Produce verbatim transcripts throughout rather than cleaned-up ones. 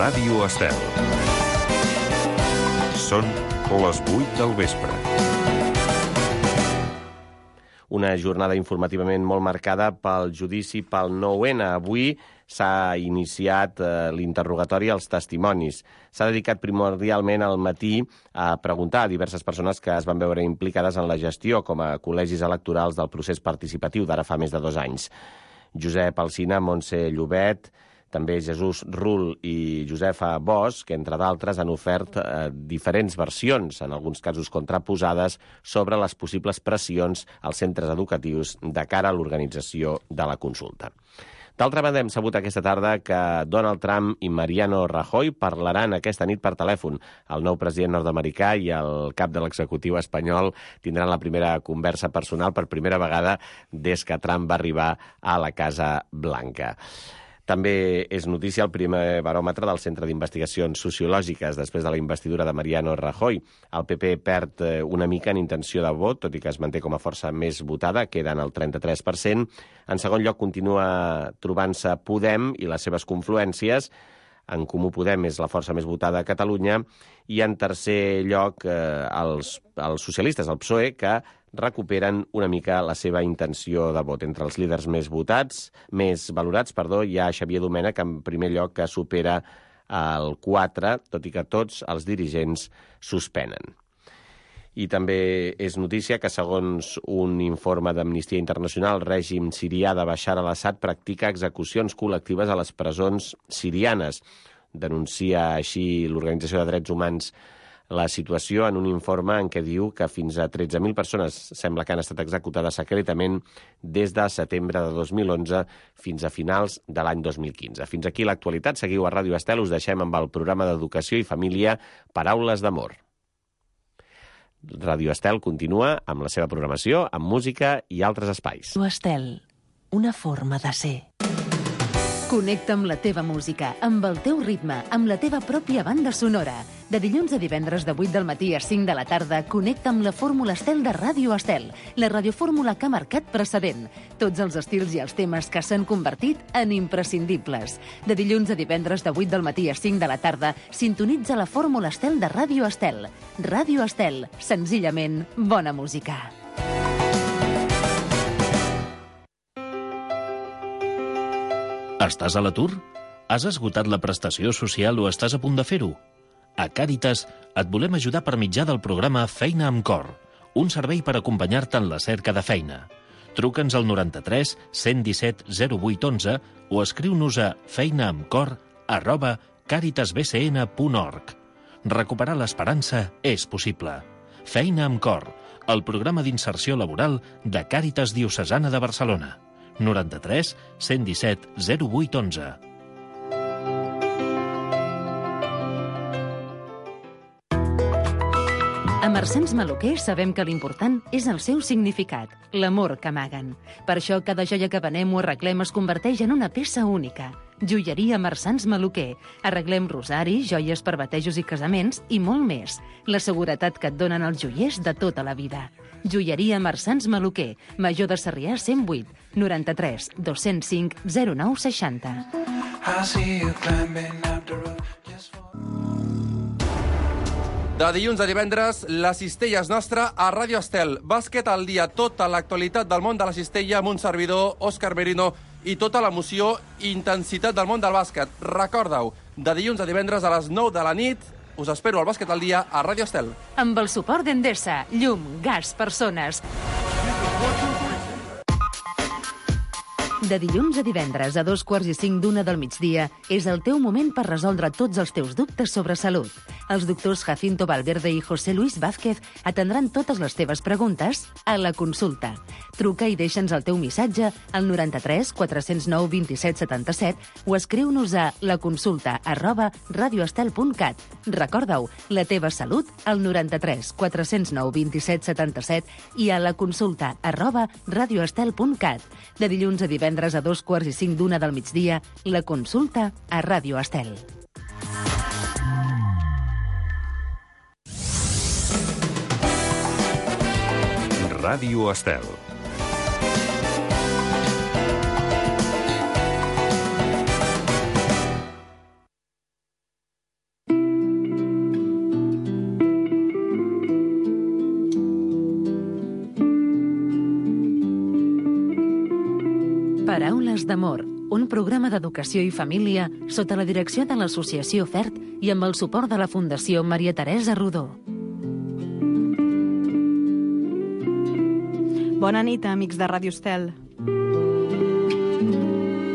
Ràdio Estel. Són les vuit del vespre. Una jornada informativament molt marcada pel judici pel nou ene. Avui s'ha iniciat eh, l'interrogatori als testimonis. S'ha dedicat primordialment al matí a preguntar a diverses persones que es van veure implicades en la gestió com a col·legis electorals del procés participatiu d'ara fa més de dos anys. Josep Alsina, Montse Llobet, també Jesús Rull i Josefa Bosch, que entre d'altres han ofert eh, diferents versions, en alguns casos contraposades, sobre les possibles pressions als centres educatius de cara a l'organització de la consulta. D'altra banda, hem sabut aquesta tarda que Donald Trump i Mariano Rajoy parlaran aquesta nit per telèfon. El nou president nord-americà i el cap de l'executiu espanyol tindran la primera conversa personal per primera vegada des que Trump va arribar a la Casa Blanca. També és notícia el primer baròmetre del Centre d'Investigacions Sociològiques després de la investidura de Mariano Rajoy. El pe pe perd una mica en intenció de vot, tot i que es manté com a força més votada, queda en el trenta-tres per cent. En segon lloc continua trobant-se Podem i les seves confluències. En Comú Podem és la força més votada a Catalunya. I en tercer lloc eh, els, els socialistes, el pe esse o e, que recuperen una mica la seva intenció de vot. Entre els líders més votats, més valorats, perdó, hi ha Xavier Domènech, en primer lloc, que supera el quatre, tot i que tots els dirigents suspenen. I també és notícia que, segons un informe d'Amnistia Internacional, el règim sirià de Bashar al-Assad practica execucions col·lectives a les presons sirianes. Denuncia així l'Organització de Drets Humans la situació en un informe en què diu que fins a tretze mil persones sembla que han estat executades secretament des de setembre de dos mil onze fins a finals de l'any dos mil quinze. Fins aquí l'actualitat. Seguiu a Ràdio Estel. Us deixem amb el programa d'Educació i Família Paraules d'Amor. Ràdio Estel continua amb la seva programació, amb música i altres espais. Ràdio Estel, una forma de ser. Connecta amb la teva música, amb el teu ritme, amb la teva pròpia banda sonora. De dilluns a divendres de vuit del matí a cinc de la tarda, connecta amb la Fórmula Estel de Ràdio Estel, la radiofórmula que ha marcat precedent. Tots els estils i els temes que s'han convertit en imprescindibles. De dilluns a divendres de vuit del matí a cinc de la tarda, sintonitza la Fórmula Estel de Ràdio Estel. Ràdio Estel, senzillament bona música. Estàs a l'atur? Has esgotat la prestació social o estàs a punt de fer-ho? A Càritas et volem ajudar per mitjà del programa Feina amb Cor, un servei per acompanyar-te en la cerca de feina. Truca'ns al noranta-tres cent disset zero vuit onze o escriu-nos a feinaamcor arroba caritasbcn punt org. Recuperar l'esperança és possible. Feina amb Cor, el programa d'inserció laboral de Càritas Diocesana de Barcelona. noranta-tres cent disset zero vuit onze. A Marsans Maluquer sabem que l'important és el seu significat, l'amor que amaguen. Per això cada joia que venem o arreglem es converteix en una peça única. Joieria Marsans Maluquer. Arreglem rosaris, joies per batejos i casaments i molt més. La seguretat que et donen els joiers de tota la vida. Joieria Marsans Maluquer, Major de Sarrià cent vuit, noranta-tres dos cents cinc zero nou seixanta. De dilluns a divendres, la cistella és nostra a Ràdio Estel. Bàsquet al dia, tota l'actualitat del món de la cistella amb un servidor, Òscar Merino, i tota l'emoció i intensitat del món del bàsquet. Recorda-ho, de dilluns a divendres a les nou de la nit, us espero al Bàsquet al dia a Ràdio Estel. Amb el suport d'Endesa, llum, gas, persones. De dilluns a divendres a dos quarts i cinc d'una del migdia és el teu moment per resoldre tots els teus dubtes sobre salut. Els doctors Jacinto Valverde i José Luis Vázquez atendran totes les teves preguntes a la consulta. Truca i deixa'ns el teu missatge al noranta-tres quatre zero nou vint set setanta-set o escriu-nos a laconsulta arroba radioestel punt cat. Recorda-ho, la teva salut al noranta-tres quatre zero nou vint set setanta-set i a la consulta arroba radioestel punt cat. De dilluns a divendres a dos quarts i cinc d'una del migdia, la consulta a Ràdio Estel. Ràdio Estel. Paraules d'amor, un programa d'educació i família sota la direcció de l'Associació FERT i amb el suport de la Fundació Maria Teresa Rodó. Bona nit, amics de Ràdio Estel.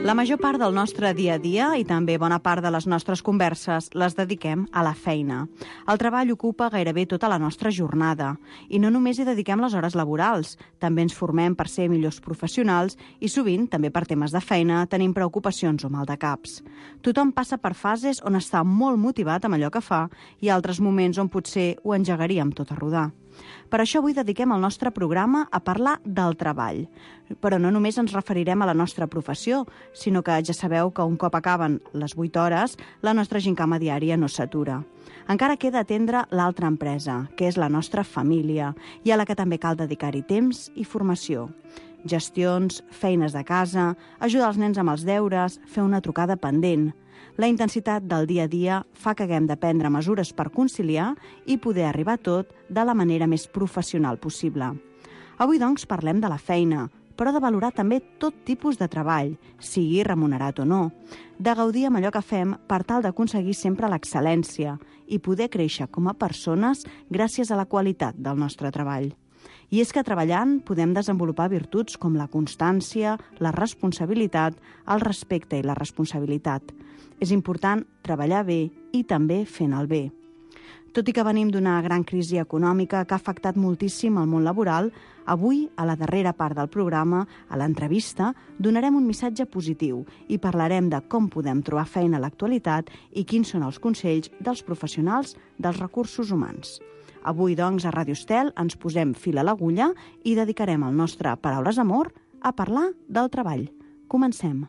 La major part del nostre dia a dia i també bona part de les nostres converses les dediquem a la feina. El treball ocupa gairebé tota la nostra jornada i no només hi dediquem les hores laborals, també ens formem per ser millors professionals i sovint, també per temes de feina, tenim preocupacions o mal de caps. Tothom passa per fases on està molt motivat amb allò que fa i altres moments on potser ho engegaria amb tot a rodar. Per això avui dediquem el nostre programa a parlar del treball. Però no només ens referirem a la nostra professió, sinó que ja sabeu que un cop acaben les vuit hores, la nostra gincama diària no s'atura. Encara queda atendre l'altra empresa, que és la nostra família, i a la que també cal dedicar-hi temps i formació. Gestions, feines de casa, ajudar els nens amb els deures, fer una trucada pendent. La intensitat del dia a dia fa que haguem de prendre mesures per conciliar i poder arribar a tot de la manera més professional possible. Avui, doncs, parlem de la feina, però de valorar també tot tipus de treball, sigui remunerat o no, de gaudir amb allò que fem per tal d'aconseguir sempre l'excel·lència i poder créixer com a persones gràcies a la qualitat del nostre treball. I és que treballant podem desenvolupar virtuts com la constància, la responsabilitat, el respecte i la responsabilitat. És important treballar bé i també fent el bé. Tot i que venim d'una gran crisi econòmica que ha afectat moltíssim el món laboral, avui, a la darrera part del programa, a l'entrevista, donarem un missatge positiu i parlarem de com podem trobar feina a l'actualitat i quins són els consells dels professionals dels recursos humans. Avui, doncs, a Ràdio Estel ens posem fil a l'agulla i dedicarem el nostre Paraules d'Amor a parlar del treball. Comencem.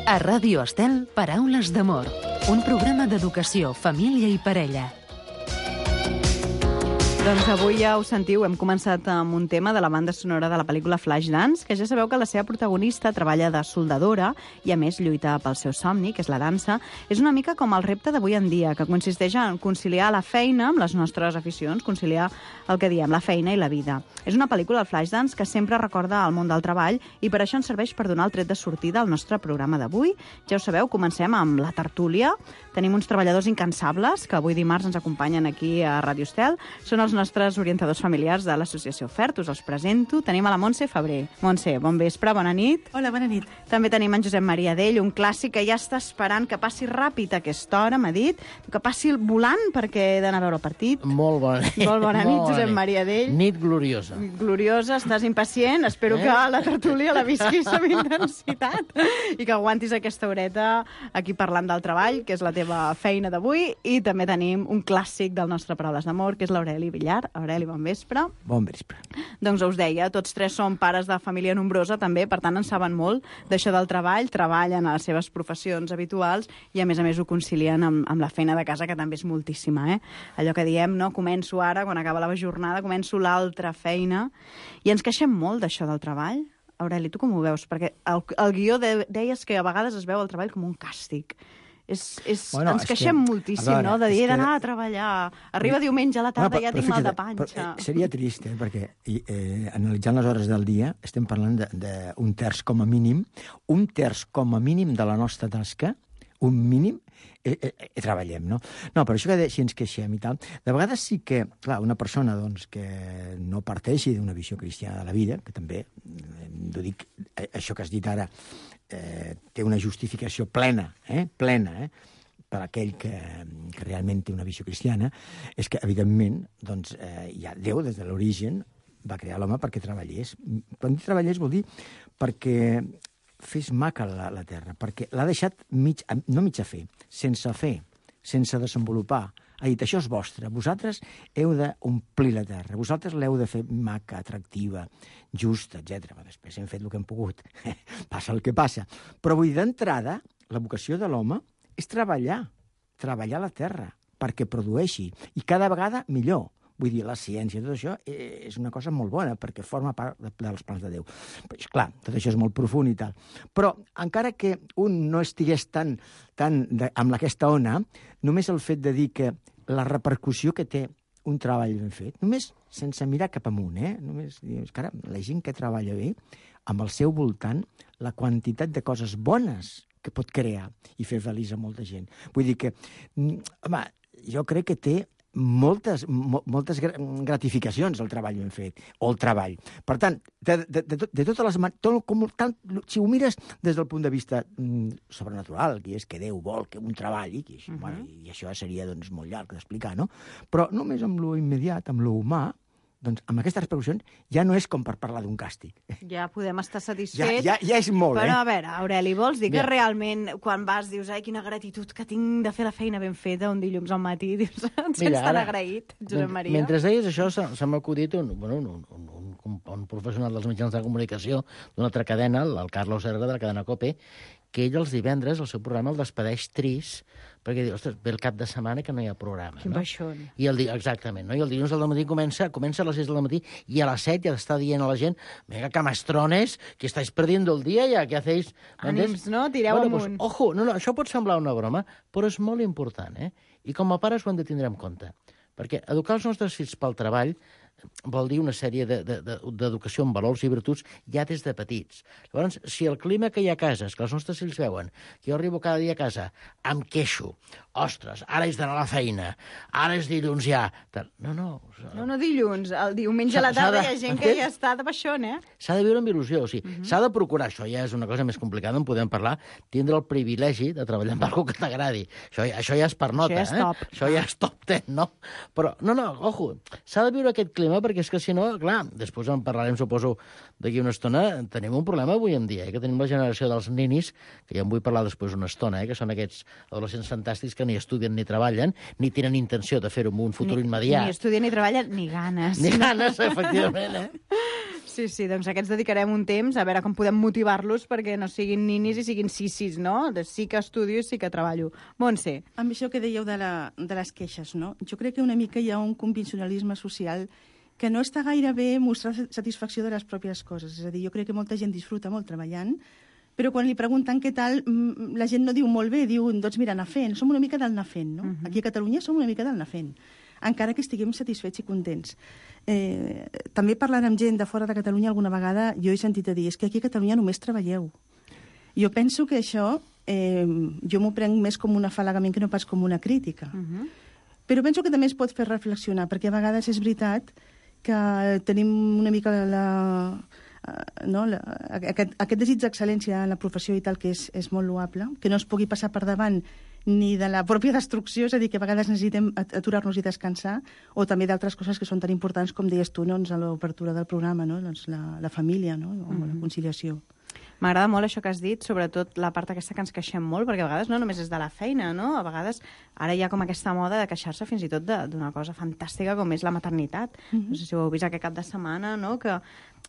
A Ràdio Estel, Paraules d'Amor. un programa d'educació, família i parella. Doncs avui ja ho sentiu, hem començat amb un tema de la banda sonora de la pel·lícula Flashdance, que ja sabeu que la seva protagonista treballa de soldadora i a més lluita pel seu somni, que és la dansa. És una mica com el repte d'avui en dia, que consisteix en conciliar la feina amb les nostres aficions, conciliar el que diem, la feina i la vida. És una pel·lícula, el Flashdance, que sempre recorda el món del treball i per això ens serveix per donar el tret de sortida al nostre programa d'avui. Ja ho sabeu, comencem amb la tertúlia. Tenim uns treballadors incansables que avui dimarts ens acompanyen aquí a Ràdio Estel. Són els nostres orientadors familiars de l'associació FERT. Us els presento. Tenim a la Montse Febrer. Montse, bon vespre, bona nit. Hola, bona nit. També tenim en Josep Maria Dell, un clàssic que ja està esperant que passi ràpid a aquesta hora, m'ha dit, que passi el volant perquè he d'anar a veure el partit. Molt bona nit. Molt bona nit, Molt Josep nit. Maria Dell. Nit gloriosa. Gloriosa, estàs impacient. Espero Eh? que la tertúlia la visquis amb intensitat i que aguantis aquesta horeta aquí parlant del treball, que és la teva feina d'avui. I també tenim un clàssic del nostre Paraules d'Amor, que és l'Aureli Villar. Aureli, bon vespre. Bon vespre. Doncs us deia, tots tres som pares de família nombrosa també, per tant en saben molt d'això del treball, treballen a les seves professions habituals i a més a més ho concilien amb, amb la feina de casa, que també és moltíssima, eh? Allò que diem, no? Començo ara, quan acaba la jornada, començo l'altra feina i ens queixem molt d'això del treball. Aureli, tu com ho veus? Perquè el, el guió de, deies que a vegades es veu el treball com un càstig. És, és, Bueno, ens és queixem que, moltíssim, a veure, no? De dir, és he d'anar que- a treballar. Arriba diumenge a la tarda i ja però tinc mal de fixa't, panxa. però, eh, seria trist, eh, perquè i, eh, analitzant les hores del dia estem parlant d'un terç com a mínim, un terç com a mínim de la nostra tasca, un mínim, eh, eh, eh, treballem, no? No, però això que de, si ens queixem i tal, de vegades sí que, clar, una persona doncs, que no parteixi d'una visió cristiana de la vida, que també, eh, ho dic, eh, això que has dit ara, eh, té una justificació plena, eh, plena, eh, per aquell que, que realment té una visió cristiana, és que, evidentment, doncs, eh, ja Déu, des de l'origen, va crear l'home perquè treballés. Quan dic treballés vol dir perquè fes maca la, la terra, perquè l'ha deixat mig, no mig a fer, sense fer, sense desenvolupar. Ha dit, això és vostre, vosaltres heu d'omplir la terra, vosaltres l'heu de fer maca, atractiva, justa, etcètera. Després hem fet el que hem pogut, passa el que passa. Però vull dir, d'entrada, la vocació de l'home és treballar, treballar la terra, perquè produeixi, i cada vegada millor. Vull dir, la ciència, tot això, és una cosa molt bona, perquè forma part dels plans de Déu. Però, clar, tot això és molt profund i tal. Però, encara que un no estigués tan, tan de, amb aquesta ona, només el fet de dir que la repercussió que té un treball ben fet, només sense mirar cap amunt, eh? Només dir, cara, la gent que treballa bé, amb el seu voltant, la quantitat de coses bones que pot crear i fer feliç a molta gent. Vull dir que, home, jo crec que té moltes, mo, moltes gratificacions el treball ben fet, o el treball. Per tant, de, de, de, de totes les... Tot, com, tant, si ho mires des del punt de vista mm, sobrenatural, que és que Déu vol que un treballi, i, uh -huh. bueno, i això seria doncs, molt llarg d'explicar, no? Però només amb lo immediat, amb lo humà, doncs amb aquestes repercussions ja no és com per parlar d'un càstig. Ja podem estar Ja, satisfets. ja, ja és molt, Però, eh? a veure, Aureli, vols dir que Mira. realment, quan vas, dius, ai, quina gratitud que tinc de fer la feina ben feta un dilluns al matí, dius, et sents tan agraït, Josep Maria? Mentre deies això, se, se m'ha acudit un, bueno, un, un, un, un, un professional dels mitjans de comunicació d'una altra cadena, el, el Carlos Herrera, de la cadena COPE, que ell els divendres, el seu programa, el despedeix trist, perquè diu, ostres, ve el cap de setmana que no hi ha programa. Quin no? baixón. I el, di- exactament, no? I el dilluns al matí comença, comença a les sis del matí i a les set ja està dient a la gent, venga, camastrones, que estáis perdiendo el día ya, ¿qué hacéis? Ànims, no? Tireu bueno, amunt. Pues, ojo, no, no, això pot semblar una broma, però és molt important, eh? I com a pares ho hem de tindre en compte. Perquè educar els nostres fills pel treball vol dir una sèrie de- de- de- d'educació en valors i virtuts ja des de petits. Llavors, si el clima que hi ha a casa és que els nostres fills veuen que jo arribo cada dia a casa, em queixo, ostres, ara és d'anar a la feina, ara és dilluns ja... Tal. No, no. No, no dilluns, el diumenge a la S'ha- s'ha tarda de- hi ha gent que entens? ja està de baixón, eh? S'ha de viure amb il·lusió, o sigui, uh -huh. s'ha de procurar, això ja és una cosa més complicada, en podem parlar, tindre el privilegi de treballar amb algú que t'agradi. Això, això ja és per nota, ja és eh? top. Això ja és top ten, no? Però, no, no, ojo, s'ha de viure aquest clima, perquè és que si no, clar, després en parlarem, suposo, d'aquí una estona, tenim un problema avui en dia, eh? Que tenim la generació dels ninis, que ja en vull parlar després una estona, eh? Que són aquests adolescents fantàstics que ni estudien ni treballen, ni tenen intenció de fer-ho en un futur Ni, immediat. ni estudien ni treballen, ni ganes. Ni ganes, efectivament, eh? Sí, sí, doncs aquests dedicarem un temps a veure com podem motivar-los perquè no siguin ninis i siguin sis-sis, no? De sí que estudio i sí que treballo. Montse. Amb això que dèieu de, la, de les queixes, no? Jo crec que una mica hi ha un convencionalisme social que no està gaire bé mostrar satisfacció de les pròpies coses. És a dir, jo crec que molta gent disfruta molt treballant, però quan li pregunten què tal, la gent no diu molt bé, diu, doncs mira, anar fent. Som una mica del anar fent, no? Uh-huh. Aquí a Catalunya som una mica del anar fent, encara que estiguem satisfets i contents. Eh, també parlant amb gent de fora de Catalunya alguna vegada jo he sentit a dir, és que aquí a Catalunya només treballeu. Jo penso que això eh, jo m'ho prenc més com un afalagament que no pas com una crítica. Uh-huh. Però penso que també es pot fer reflexionar, perquè a vegades és veritat que tenim una mica la, no, la, aquest, aquest desig d'excel·lència en la professió i tal, que és, és molt loable, que no es pugui passar per davant ni de la pròpia destrucció, és a dir, que a vegades necessitem aturar-nos i descansar, o també d'altres coses que són tan importants, com deies tu, doncs, a l'obertura del programa, no? Doncs la, la família, no? O mm-hmm. la conciliació. M'agrada molt això que has dit, sobretot la part aquesta que ens queixem molt, perquè a vegades no només és de la feina, no? A vegades ara hi ha com aquesta moda de queixar-se fins i tot d'una cosa fantàstica com és la maternitat. Mm-hmm. No sé si ho heu vist aquest cap de setmana, no? Que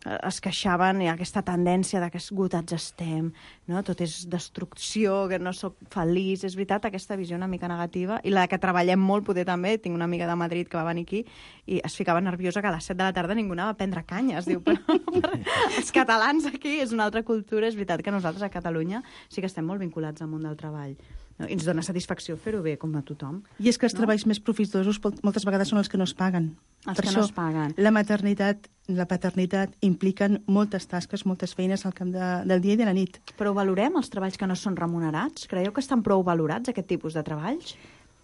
es queixaven, hi ha aquesta tendència de que esgotats estem, no? Tot és destrucció, que no sóc feliç. És veritat, aquesta visió una mica negativa, i la que treballem molt, poder també. Tinc una amiga de Madrid que va venir aquí i es ficava nerviosa que a les set de la tarda ningú anava a prendre canya. Es diu, però, però els catalans aquí és una altra cultura. És veritat que nosaltres a Catalunya sí que estem molt vinculats al món del treball. No? I ens dona satisfacció fer-ho bé, com a tothom. I és que els no? treballs més profitosos moltes vegades són els que no es paguen. Els per que això, no es paguen. La maternitat, la paternitat impliquen moltes tasques, moltes feines al camp de, del dia i de la nit. Però valorem els treballs que no són remunerats? Creieu que estan prou valorats, aquest tipus de treballs?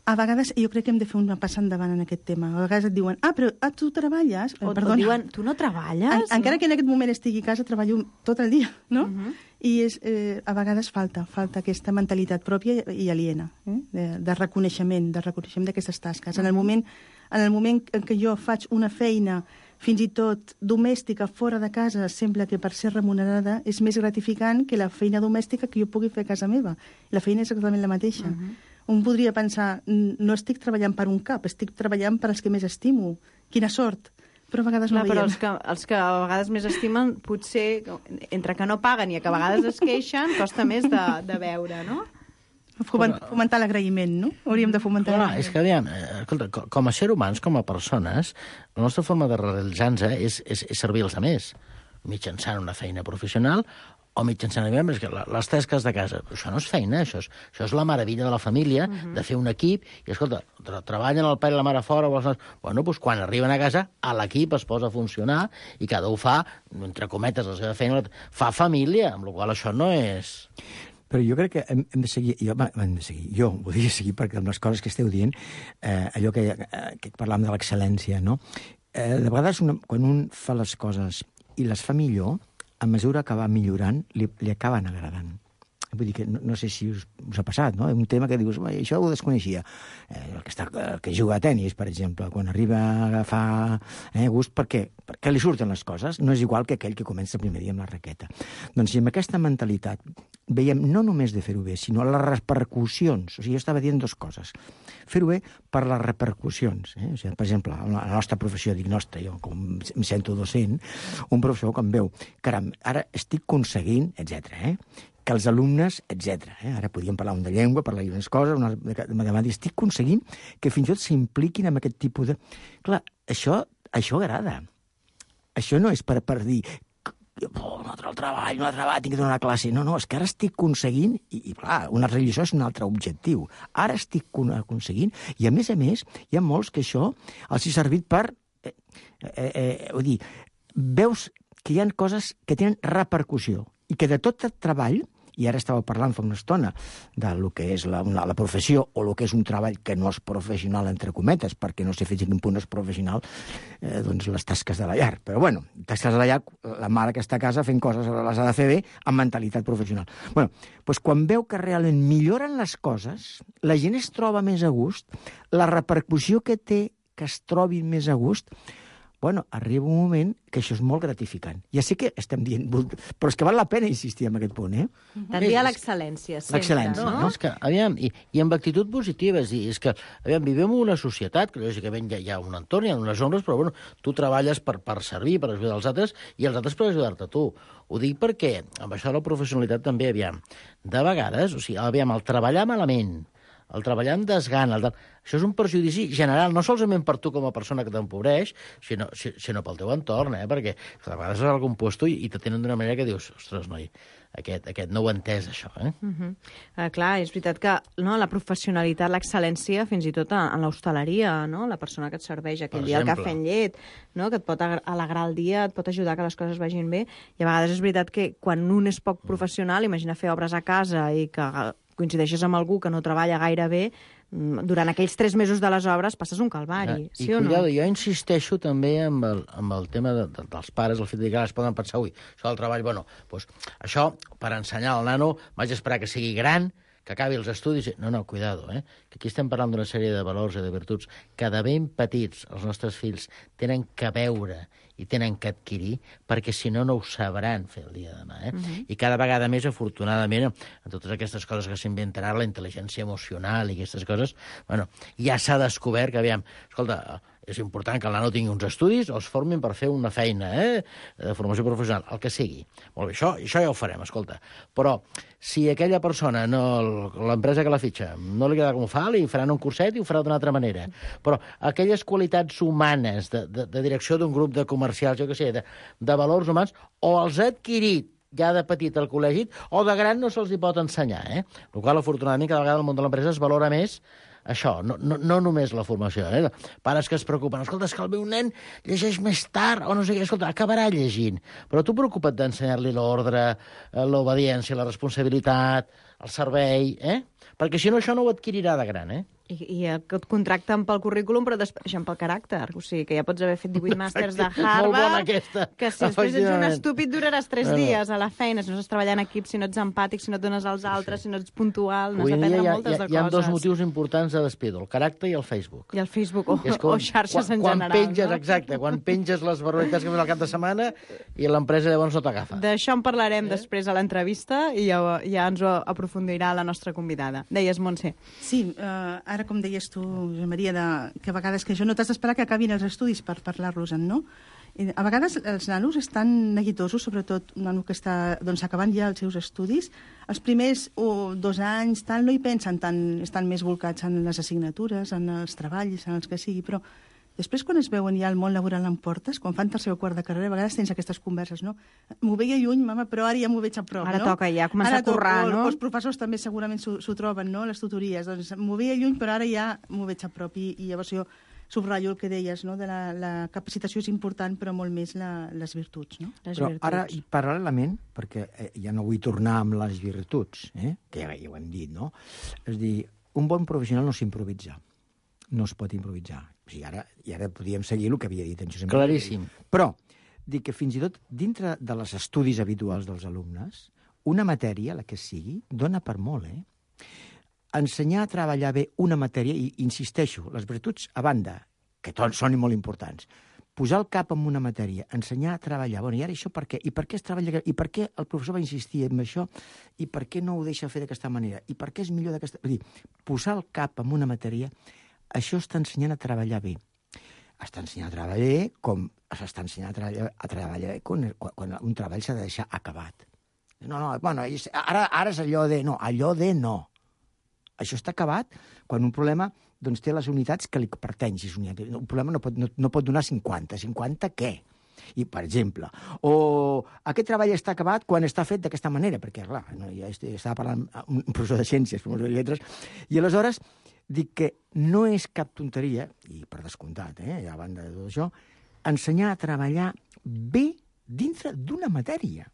A vegades jo crec que hem de fer una passa endavant en aquest tema. A vegades et diuen, ah, però ah, tu treballes? O, Perdona. o diuen, tu no treballes? En, no? Encara que en aquest moment estigui a casa, treballo tot el dia, no? Uh-huh. I és, eh, a vegades falta, falta aquesta mentalitat pròpia i aliena, eh? de, de reconeixement, de reconeixement d'aquestes tasques. En el moment, en el moment en què jo faig una feina fins i tot domèstica fora de casa, sembla que per ser remunerada és més gratificant que la feina domèstica que jo pugui fer a casa meva. La feina és exactament la mateixa. Uh-huh. Un podria pensar, no estic treballant per un cap, estic treballant per als que més estimo. Quina sort! Però a vegades Clar, no però veiem. els que, els que a vegades més estimen, potser, entre que no paguen i que a vegades es queixen, costa més de, de veure, no? Foment, fomentar l'agraïment, no? Hauríem de fomentar Clar, és que, aviam, escolta, com a ser humans, com a persones, la nostra forma de realitzar-nos és, és, és servir els altres, mitjançant una feina professional o mitjançant membres, que les tasques de casa. Això no és feina, això és, això és la meravella de la família, uh-huh. de fer un equip, i escolta, tra treballen el pare i la mare fora, o els... bueno, doncs quan arriben a casa, l'equip es posa a funcionar, i cada un fa, entre cometes, la seva feina, fa família, amb la qual això no és... Però jo crec que hem, hem de seguir, jo, hem de seguir, jo volia seguir perquè amb les coses que esteu dient, eh, allò que, eh, que parlàvem de l'excel·lència, no? Eh, de vegades, una, quan un fa les coses i les fa millor, a mesura que va millorant, li, li acaben agradant. Vull dir que no, no sé si us, us ha passat, no? Un tema que dius, això ho desconeixia. Eh, el, que està, el que juga a tennis, per exemple, quan arriba a agafar eh, gust, perquè, perquè li surten les coses. No és igual que aquell que comença el primer dia amb la raqueta. Doncs si amb aquesta mentalitat veiem no només de fer-ho bé, sinó les repercussions. O sigui, jo estava dient dues coses. Fer-ho bé per les repercussions. Eh? O sigui, per exemple, a la nostra professió, dic nostra, jo com em sento docent, un professor que em veu, caram, ara estic aconseguint, etcètera, eh? que els alumnes, etcètera. Eh? Ara podríem parlar un de llengua, parlar d'unes coses, una de matemàtiques. Estic aconseguint que fins i tot s'impliquin en aquest tipus de... Clar, això, això agrada. Això no és per, per dir oh, un altre treball, un altre treball, tinc que donar una classe. No, no, és que ara estic aconseguint, i, i clar, una religió és un altre objectiu. Ara estic aconseguint, i a més a més, hi ha molts que això els ha servit per... Eh, eh, eh, vull dir, veus que hi ha coses que tenen repercussió, i que de tot el treball, i ara estava parlant fa una estona de lo que és la, una, la professió o el que és un treball que no és professional, entre cometes, perquè no sé fins a quin punt és professional, eh, doncs les tasques de la llar. Però bueno, tasques de la llar, la mare que està a casa fent coses les ha de fer bé amb mentalitat professional. Bueno, doncs quan veu que realment milloren les coses, la gent es troba més a gust, la repercussió que té que es trobi més a gust, bueno, arriba un moment que això és molt gratificant. Ja sé que estem dient, però és que val la pena insistir en aquest punt, eh? Tendir a l'excel·lència, sempre. L'excel·lència, no? No, és que, aviam, i, i amb actitud positiva, és dir, és que, aviam, vivim en una societat, que lògicament hi ha, hi ha un entorn, hi ha unes ombres, però, bueno, tu treballes per, per servir, per ajudar els altres, i els altres per ajudar-te a tu. Ho dic perquè, amb això de la professionalitat també, aviam, de vegades, o sigui, aviam, el treballar malament, el treballar amb desgana, el... això és un perjudici general, no solament per tu com a persona que t'empobreix, sinó, sinó pel teu entorn, eh? Perquè a vegades és algun puesto i, i t'atenen d'una manera que dius, ostres, noi, aquest, aquest no ho ha entès, això, eh? Uh -huh. uh, clar, és veritat que no, la professionalitat, l'excel·lència, fins i tot en l'hostaleria, no? La persona que et serveix aquell Per dia el exemple. cafè en llet, no? Que et pot alegrar el dia, et pot ajudar que les coses vagin bé, i a vegades és veritat que quan un és poc professional, imagina fer obres a casa i que coincideixes amb algú que no treballa gaire bé, durant aquells tres mesos de les obres passes un calvari, ja, sí i o cuidado, no? jo insisteixo també amb el, amb el tema de, de, dels pares, el fet de que es poden pensar, ui, això del treball, bueno, doncs, això, per ensenyar al nano, vaig esperar que sigui gran, que acabi els estudis... No, no, cuidado, eh? Que aquí estem parlant d'una sèrie de valors i de virtuts que de ben petits els nostres fills tenen que veure i tenen que adquirir, perquè si no, no ho sabran fer el dia de demà. Eh? Uh -huh. I cada vegada més, afortunadament, en totes aquestes coses que s'inventen ara, la intel·ligència emocional i aquestes coses, bueno, ja s'ha descobert que, aviam, escolta, és important que el nano tingui uns estudis o es formin per fer una feina, eh? De formació professional, el que sigui. Molt bé, això, això ja ho farem, escolta. Però si aquella persona, no, l'empresa que la fitxa, no li queda com ho fa, li faran un curset i ho farà d'una altra manera. Però aquelles qualitats humanes de, de, de direcció d'un grup de comercials, jo què sé, de, de valors humans, o els ha adquirit ja de petit al col·legi, o de gran no se'ls hi pot ensenyar, eh? El qual, afortunadament, cada vegada el món de l'empresa es valora més això, no, no, no només la formació, eh? Pares que es preocupen, escolta, és que el meu nen llegeix més tard, o no sé què, escolta, acabarà llegint. Però tu preocupa't d'ensenyar-li l'ordre, l'obediència, la responsabilitat, el servei, eh? Perquè si no, això no ho adquirirà de gran, eh? I, i et contracten pel currículum, però després pel caràcter. O sigui, que ja pots haver fet divuit màsters de Harvard, molt bona aquesta, que si després ets un estúpid duraràs tres bueno. dies a la feina, si no saps treballar en equip, si no ets empàtic, si no et dones als altres, sí. si no ets puntual, no has d'aprendre hi ha, moltes hi ha, de coses. Hi ha dos motius importants de despido, el caràcter i el Facebook. I el Facebook, o, quan, o xarxes quan, en quan general. Penges, no? Exacte, quan penges les barbaritats que fas al cap de setmana i l'empresa llavors no t'agafa. D'això en parlarem eh? després a l'entrevista i ja, ja ens ho aprofundirà la nostra convidada. Deies, Montse. Sí, uh, ara com deies tu, Josep Maria, de, que a vegades que això no t'has d'esperar que acabin els estudis per parlar-los-en, no? I a vegades els nanos estan neguitosos, sobretot un nano que està doncs, acabant ja els seus estudis. Els primers oh, dos anys tal, no hi pensen tant, estan més volcats en les assignatures, en els treballs, en els que sigui, però després, quan es veuen ja el món laboral en portes, quan fan tercer o quart de carrera, a vegades tens aquestes converses, no? M'ho veia lluny, mama, però ara ja m'ho veig a prop, ara no? Ara toca ja començar ara a currar, toca, no? Els professors també segurament s'ho troben, no?, les tutories. Doncs m'ho veia lluny, però ara ja m'ho veig a prop. I, i llavors jo subratllo el que deies, no?, de la, la capacitació és important, però molt més la, les virtuts, no? Les però virtuts. ara, i paral·lelament, perquè eh, ja no vull tornar amb les virtuts, eh? Que ja, ja ho hem dit, no? És dir, un bon professional no s'improvisa. No es pot improvisar. O sigui, ara, i ara podíem seguir el que havia dit en Josep. Claríssim. Però, dic que fins i tot dintre de les estudis habituals dels alumnes, una matèria, la que sigui, dona per molt, eh? Ensenyar a treballar bé una matèria, i insisteixo, les virtuts a banda, que tots són molt importants, posar el cap en una matèria, ensenyar a treballar, bueno, i ara això per què? I per què es treballa? I per què el professor va insistir en això? I per què no ho deixa fer d'aquesta manera? I per què és millor d'aquesta... Vull dir, posar el cap en una matèria, això està ensenyant a treballar bé. Està ensenyant a treballar bé com s'està ensenyant a treballar, a treballar bé quan, quan un treball s'ha de deixar acabat. No, no, bueno, ara, ara és allò de... No, allò de no. Això està acabat quan un problema doncs, té les unitats que li pertany. Si un problema no pot, no, no pot donar cinquanta. cinquanta què? I, per exemple, o aquest treball està acabat quan està fet d'aquesta manera, perquè, clar, no, ja estava parlant amb un professor de ciències, professor de lletres, i aleshores dic que no és cap tonteria, i per descomptat, eh, a banda de tot això, ensenyar a treballar bé dintre d'una matèria.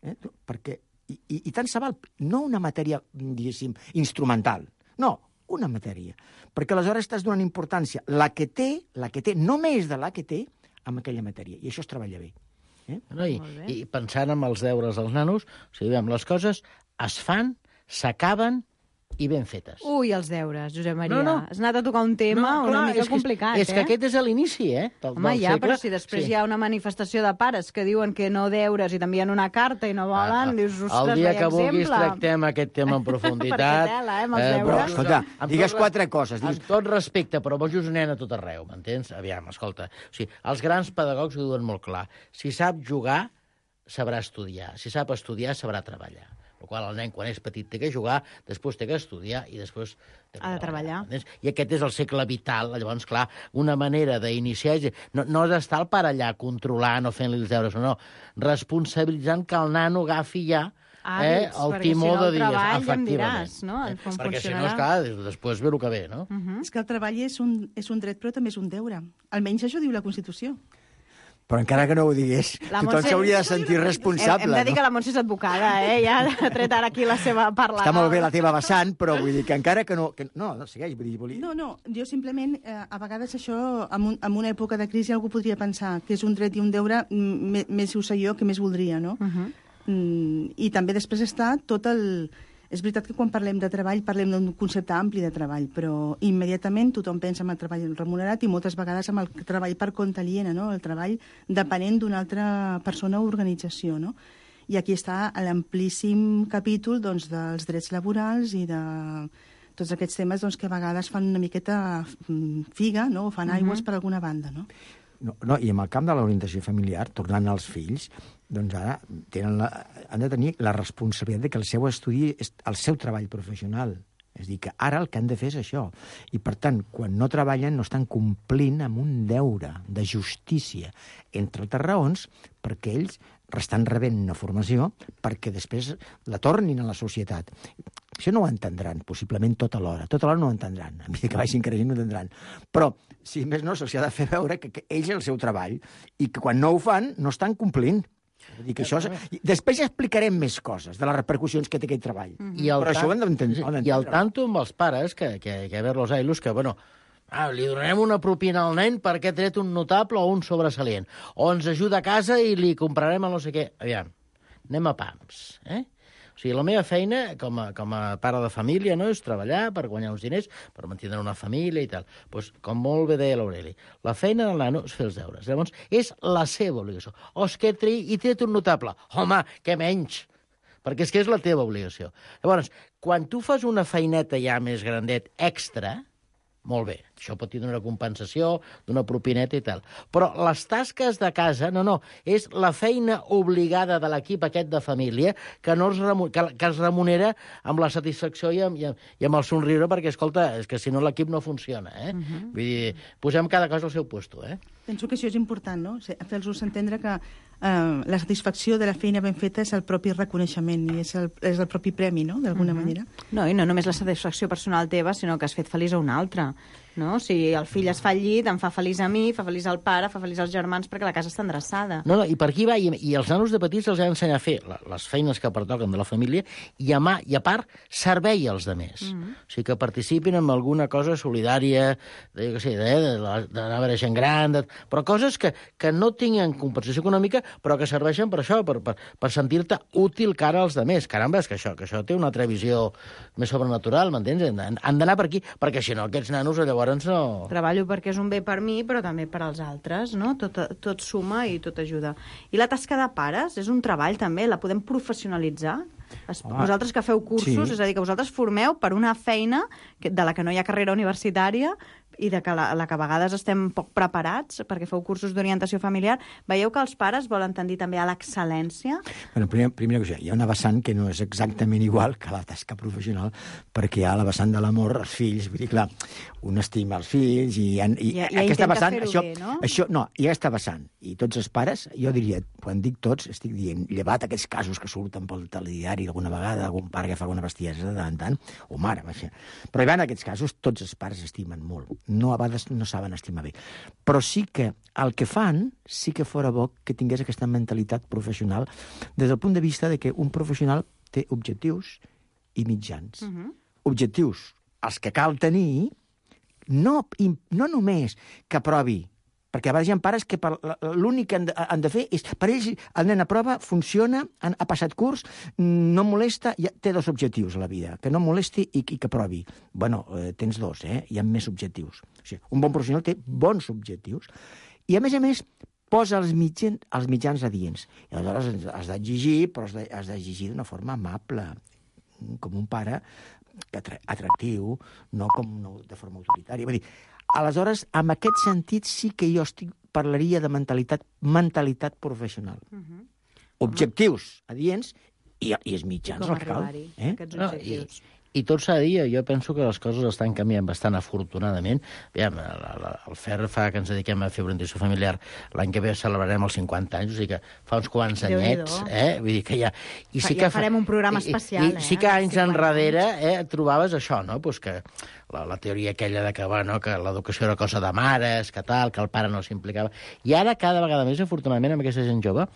Eh? Perquè, i, i, i tant se val, no una matèria, diguéssim, instrumental, no, una matèria. Perquè aleshores estàs donant importància, la que té, la que té, no més de la que té, amb aquella matèria. I això es treballa bé. Eh? No, i, I pensant en els deures dels nanos, o sigui, les coses es fan, s'acaben i ben fetes. Ui, els deures, Josep Maria. No, no. Has anat a tocar un tema No, clar, una mica és que- complicat, és eh? que aquest és l'inici, eh, del, Home, del ja, segle. però si després Sí. hi ha una manifestació de pares que diuen que no deures i t'envien una carta i no volen, Ah, dius, ostres, el dia vaya que vulguis exemple. tractem aquest tema en profunditat. Perquè tela, eh, amb els però, deures. Escolta, amb digues tot- quatre coses, digues- Amb tot respecte, però vols nen a tot arreu, m'entens? Aviam, escolta, o sigui, els grans pedagogs ho diuen molt clar. Si sap jugar, sabrà estudiar. Si sap estudiar, sabrà treballar. El qual el nen, quan és petit, té que jugar, després té que estudiar i després té que Ha de treballar. entens? I aquest és el segle vital. Llavors, clar, una manera d'iniciar... és- No, no és estar el pare allà controlant o fent-li els deures, no, no. Responsabilitzant que el nano agafi ja eh, Hàbits, el perquè timó si no el de dir, treball ja em efectivament. diràs, no? Eh? Com Perquè si no, funcionarà. esclar, després ve el que ve, no? Mhm. És que el treball és un, és un dret, però també és un deure. Almenys això diu la Constitució. Però encara que no ho digués, La tothom Montse- s'hauria de sentir responsable. Hem, hem de dir no? que la Montse és advocada, eh? Ja ha tret ara aquí la seva parla. Està molt bé la teva vessant, però vull dir que encara que no... Que... No, no, segueix, vull dir... Volia... No, no, jo simplement, eh, a vegades això, en, un, en una època de crisi, algú podria pensar que és un dret i un deure, mm, més ho sé jo, que més voldria, no? Uh -huh. Mm, I també després està tot el... És veritat que quan parlem de treball parlem d'un concepte ampli de treball, però immediatament tothom pensa en el treball remunerat i moltes vegades en el treball per compte aliena, no? El treball depenent d'una altra persona o organització, no? I aquí està l'amplíssim capítol doncs, dels drets laborals i de tots aquests temes doncs, que a vegades fan una miqueta mm, figa, no? O fan aigües per alguna banda, no? No, no, i en el camp de l'orientació familiar, tornant als fills, doncs ara tenen la, han de tenir la responsabilitat de que el seu estudi és el seu treball professional. És a dir, que ara el que han de fer és això. I, per tant, quan no treballen, no estan complint amb un deure de justícia, entre altres raons, perquè ells estan rebent una formació perquè després la tornin a la societat. Això no ho entendran, possiblement tot alhora. Tot alhora no ho entendran. A mesura que vagin creixent no ho entendran. Però, si més no, se'ls ha de fer veure que, que ells és el seu treball i que quan no ho fan no estan complint. Vull dir que això és... Després ja explicarem més coses de les repercussions que té aquest treball. I el Però això ho hem d'entendre. I el tanto amb els pares, que, que, que a veure los ailos, que, bueno, ah, li donarem una propina al nen perquè ha tret un notable o un sobresalient. O ens ajuda a casa i li comprarem el no sé què. Aviam, anem a pams, eh? O sigui, la meva feina, com a, com a pare de família, no, és treballar per guanyar uns diners, per mantenir una família i tal. Pues, com molt bé deia l'Aureli, la feina del nano és fer els deures. Llavors, és la seva obligació. O és que tri i tret un notable. Home, què menys? Perquè és que és la teva obligació. Llavors, quan tu fas una feineta ja més grandet extra, molt bé, això pot tenir una compensació d'una propineta i tal. Però les tasques de casa, no, no, és la feina obligada de l'equip aquest de família que, no es, remu que, que es remunera amb la satisfacció i amb, i amb, i amb el somriure, perquè, escolta, és que si no l'equip no funciona, eh? Uh -huh. Vull dir, posem cada cosa al seu puesto, eh? Penso que això és important, no? Fer-los entendre que eh, la satisfacció de la feina ben feta és el propi reconeixement i és el, és el propi premi, no?, d'alguna uh -huh. manera. No, i no només la satisfacció personal teva, sinó que has fet feliç a un altre. No? Si el fill es fa al llit, em fa feliç a mi, fa feliç al pare, fa feliç als germans, perquè la casa està endreçada. No, no, i per aquí va, i, i els nanos de petits els ha d'ensenyar a fer la, les feines que pertoquen de la família i a, mà, i a part, servei als demés. Mm -hmm. O sigui, que participin en alguna cosa solidària, de, jo què sé, d'anar a veure gent gran, de, però coses que, que no tinguin compensació econòmica, però que serveixen per això, per, per, per sentir-te útil cara als demés. Caramba, és que això, que això té una altra visió més sobrenatural, m'entens? Han, han d'anar per aquí, perquè si no, aquests nanos llavors no... Treballo perquè és un bé per mi, però també per als altres, no? Tot, tot suma i tot ajuda. I la tasca de pares és un treball, també, la podem professionalitzar? Es, Ah, vosaltres que feu cursos, sí. és a dir, que vosaltres formeu per una feina que, de la que no hi ha carrera universitària i de que la, la que a vegades estem poc preparats perquè feu cursos d'orientació familiar. Veieu que els pares volen tendir també a l'excel·lència? Bueno, primer, primera cosa, hi ha una vessant que no és exactament igual que la tasca professional, perquè hi ha la vessant de l'amor als fills. Vull dir, clar, un estima els fills i, i, I- i aquesta intenta vessant... fer-ho Això, bé, no? això, no, i aquesta vessant. I tots els pares, jo diria, quan dic tots, estic dient, llevat aquests casos que surten pel telediari alguna vegada, algun pare que fa alguna bestiesa de tant en tant, o mare, vaja. Però hi va, en aquests casos, tots els pares estimen molt. No, a vegades no saben estimar bé. Però sí que el que fan, sí que fora bo que tingués aquesta mentalitat professional des del punt de vista de que un professional té objectius i mitjans. Uh -huh. Objectius, els que cal tenir, no, no només que aprovi Perquè a vegades hi ha pares que per l'únic que han de, han de fer és... Per ells, el nen aprova, funciona, ha passat curs, no molesta, ja, té dos objectius a la vida, que no molesti i, i que provi. Bueno, eh, tens dos, eh? Hi ha més objectius. O sigui, un bon professional té bons objectius. I, a més a més, posa els mitjans, els mitjans adients. I aleshores has d'exigir, però has d'exigir d'una forma amable, com un pare atractiu, no com no, de forma autoritària. Vull dir, aleshores, en aquest sentit sí que jo estic, parlaria de mentalitat, mentalitat professional. Uh-huh. Objectius adients i, i els mitjans com al cal. Eh? Aquests objectius. No, i, I tot s'ha de dir, jo penso que les coses estan canviant bastant afortunadament. Aviam, el Fer fa que ens dediquem a fer orientació familiar. L'any que ve celebrarem els cinquanta anys, o sigui que fa uns quants anyets, eh? Vull dir que ja... I sí ja que farem un programa especial, i, i, eh? Sí que anys enrere eh, trobaves això, no? Pues que la, la teoria aquella de que, bueno, que l'educació era cosa de mares, que tal, que el pare no s'implicava. I ara, cada vegada més, afortunadament, amb aquesta gent jove,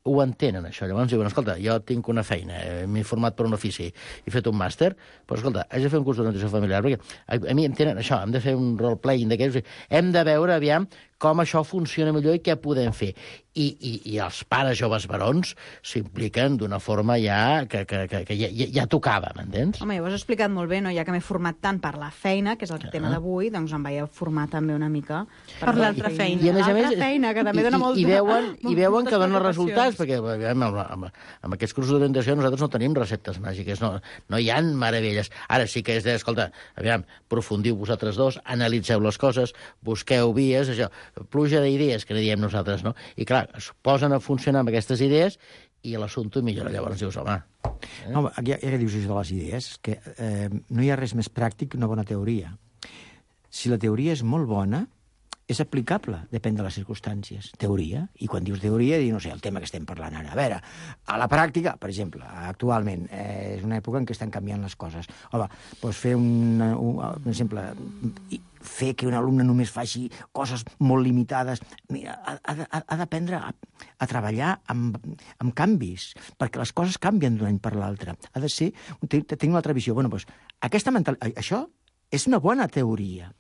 ho entenen, això. Llavors diuen, escolta, jo tinc una feina, m'he format per un ofici, he fet un màster, però escolta, haig de fer un curs d'orientació familiar, perquè a, a mi em tenen això, hem de fer un role-playing d'aquells, hem de veure, aviam, com això funciona millor i què podem fer. I, i, i els pares joves barons s'impliquen d'una forma ja que, que, que, que ja, ja, ja tocava, m'entens? Home, ja ho has explicat molt bé, no? Ja que m'he format tant per la feina, que és el Ah. tema d'avui, doncs em vaig formar també una mica per, Per l'altra feina. I, a més a més, L'altra feina, que també i, dona i, molta- i veuen, i veuen moltes que donen preocupacions. resultats, perquè aviam, amb, amb, amb aquests cursos d'orientació nosaltres no tenim receptes màgiques, no, no hi ha meravelles. Ara sí que és de, escolta, aviam, profundiu vosaltres dos, analitzeu les coses, busqueu vies, això, pluja d'idees, que ne diem nosaltres, no? I clar, es posen a funcionar amb aquestes idees i l'assumpte millora. Llavors dius, home... Eh? No, ja, ja que dius això de les idees, que eh, no hi ha res més pràctic que una bona teoria. Si la teoria és molt bona, és aplicable, depèn de les circumstàncies. Teoria, i quan dius teoria, dius, no sé, el tema que estem parlant ara. A veure, a la pràctica, per exemple, actualment, eh, és una època en què estan canviant les coses. Home, doncs fer un, un, un exemple, fer que un alumne només faci coses molt limitades. Mira, ha, ha, ha d'aprendre a, a treballar amb, amb canvis, perquè les coses canvien d'un any per l'altre. Ha de ser... Tenir una altra visió. Bueno, doncs, aquesta mental... Això és una bona teoria.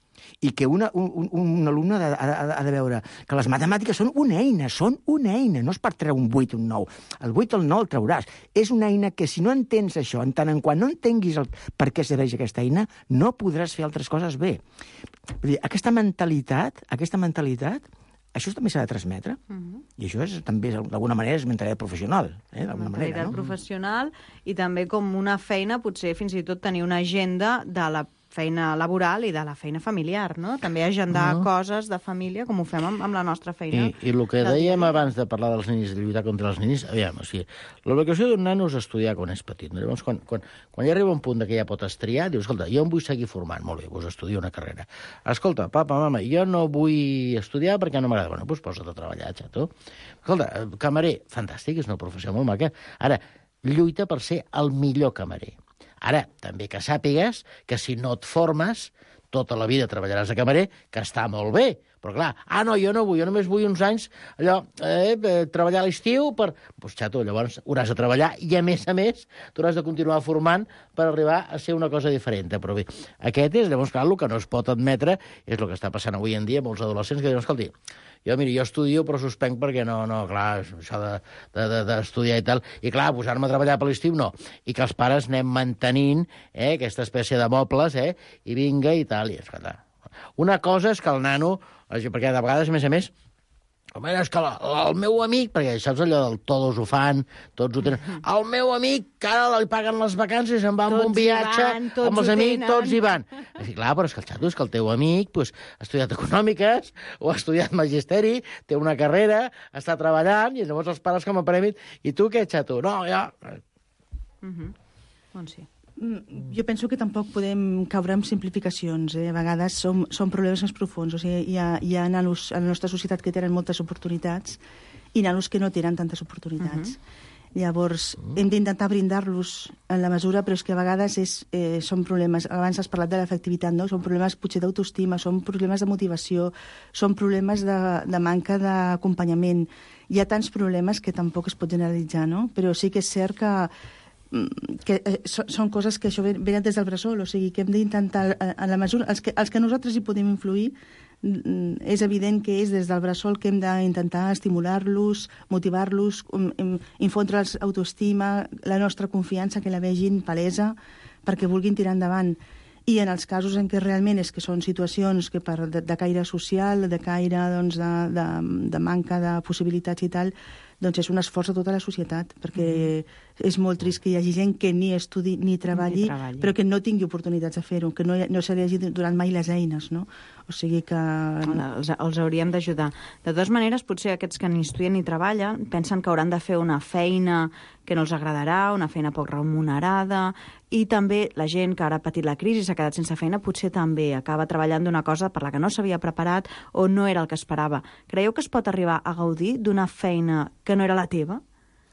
I que una, un, un alumne ha de, ha, ha de veure que les matemàtiques són una eina, són una eina, no és per treure un vuit o un nou. El vuit o el nou el trauràs. És una eina que si no entens això, en tant en quant no entenguis el, per què serveix aquesta eina, no podràs fer altres coses bé. Vull dir, aquesta mentalitat, aquesta mentalitat, això també s'ha de transmetre. Uh-huh. I això és, també, d'alguna manera, és mentalitat professional. Eh? D'alguna mentalitat manera, no? professional i també com una feina, potser fins i tot tenir una agenda de la feina laboral i de la feina familiar, no? També agendar uh-huh. coses de família, com ho fem amb, amb la nostra feina. I, i el que dèiem abans de parlar dels ninis, de lluitar contra els ninis, aviam, o sigui, l'obligació d'un nano és estudiar quan és petit. No? Llavors, quan, quan, quan ja arriba un punt que ja pot estriar, dius, escolta, jo em vull seguir formant, molt bé, doncs estudio una carrera. Escolta, papa, mama, jo no vull estudiar perquè no m'agrada. Bueno, doncs posa't a treballar, xato. Escolta, camarer, fantàstic, és una professió molt maca. Ara, lluita per ser el millor camarer. Ara, també que sàpigues que si no et formes, tota la vida treballaràs de camarer, que està molt bé. Però clar, ah, no, jo no vull, jo només vull uns anys allò, eh, treballar a l'estiu per... Doncs, xato, llavors hauràs de treballar i, a més a més, t'hauràs de continuar formant per arribar a ser una cosa diferent. Però bé, aquest és, llavors, clar, el que no es pot admetre és el que està passant avui en dia amb els adolescents que diuen, escolti, jo, mira, jo estudio però suspenc perquè no, no, clar, això d'estudiar de, de, de i tal, i clar, posar-me a treballar per l'estiu, no. I que els pares anem mantenint eh, aquesta espècie de mobles, eh, i vinga i tal, i escolta. Una cosa és que el nano, perquè de vegades, a més a més, home, és que la, el meu amic, perquè saps allò del todos ho fan, tots ho tenen, el meu amic, que ara li paguen les vacances i se'n va amb un viatge, van, amb els amics, tots hi van. I clar, però és que el xato és que el teu amic pues, ha estudiat econòmiques o ha estudiat magisteri, té una carrera, està treballant, i llavors els pares com a premi, i tu què, xato? No, ja... Uh-huh. Doncs sí. Jo penso que tampoc podem caure en simplificacions. Eh? A vegades som, són problemes més profuns. O sigui, hi ha, hi ha nanos a la nostra societat que tenen moltes oportunitats i nanos que no tenen tantes oportunitats. Uh-huh. Llavors, uh-huh. hem d'intentar brindar-los en la mesura, però és que a vegades és, eh, són problemes... Abans has parlat de l'efectivitat, no? Són problemes potser d'autoestima, són problemes de motivació, són problemes de, de manca d'acompanyament. Hi ha tants problemes que tampoc es pot generalitzar, no? Però sí que és cert que que eh, són coses que això venen des del bressol, o sigui, que hem d'intentar, en la mesura, els que, els que nosaltres hi podem influir, és evident que és des del bressol que hem d'intentar estimular-los, motivar-los, infondre'ls autoestima, la nostra confiança, que la vegin palesa, perquè vulguin tirar endavant. I en els casos en què realment és que són situacions que per de, de caire social, de caire doncs, de, de, de manca de possibilitats i tal, doncs és un esforç de tota la societat, perquè mm. és molt trist que hi hagi gent que ni estudi ni treballi, ni treballi. però que no tingui oportunitats de fer-ho, que no, no se li hagi donat mai les eines, no? O sigui que... Els, els hauríem d'ajudar. De totes maneres, potser aquests que ni estudien ni treballen pensen que hauran de fer una feina que no els agradarà, una feina poc remunerada, i també la gent que ara ha patit la crisi, s'ha quedat sense feina, potser també acaba treballant d'una cosa per la que no s'havia preparat o no era el que esperava. Creieu que es pot arribar a gaudir d'una feina que no era la teva?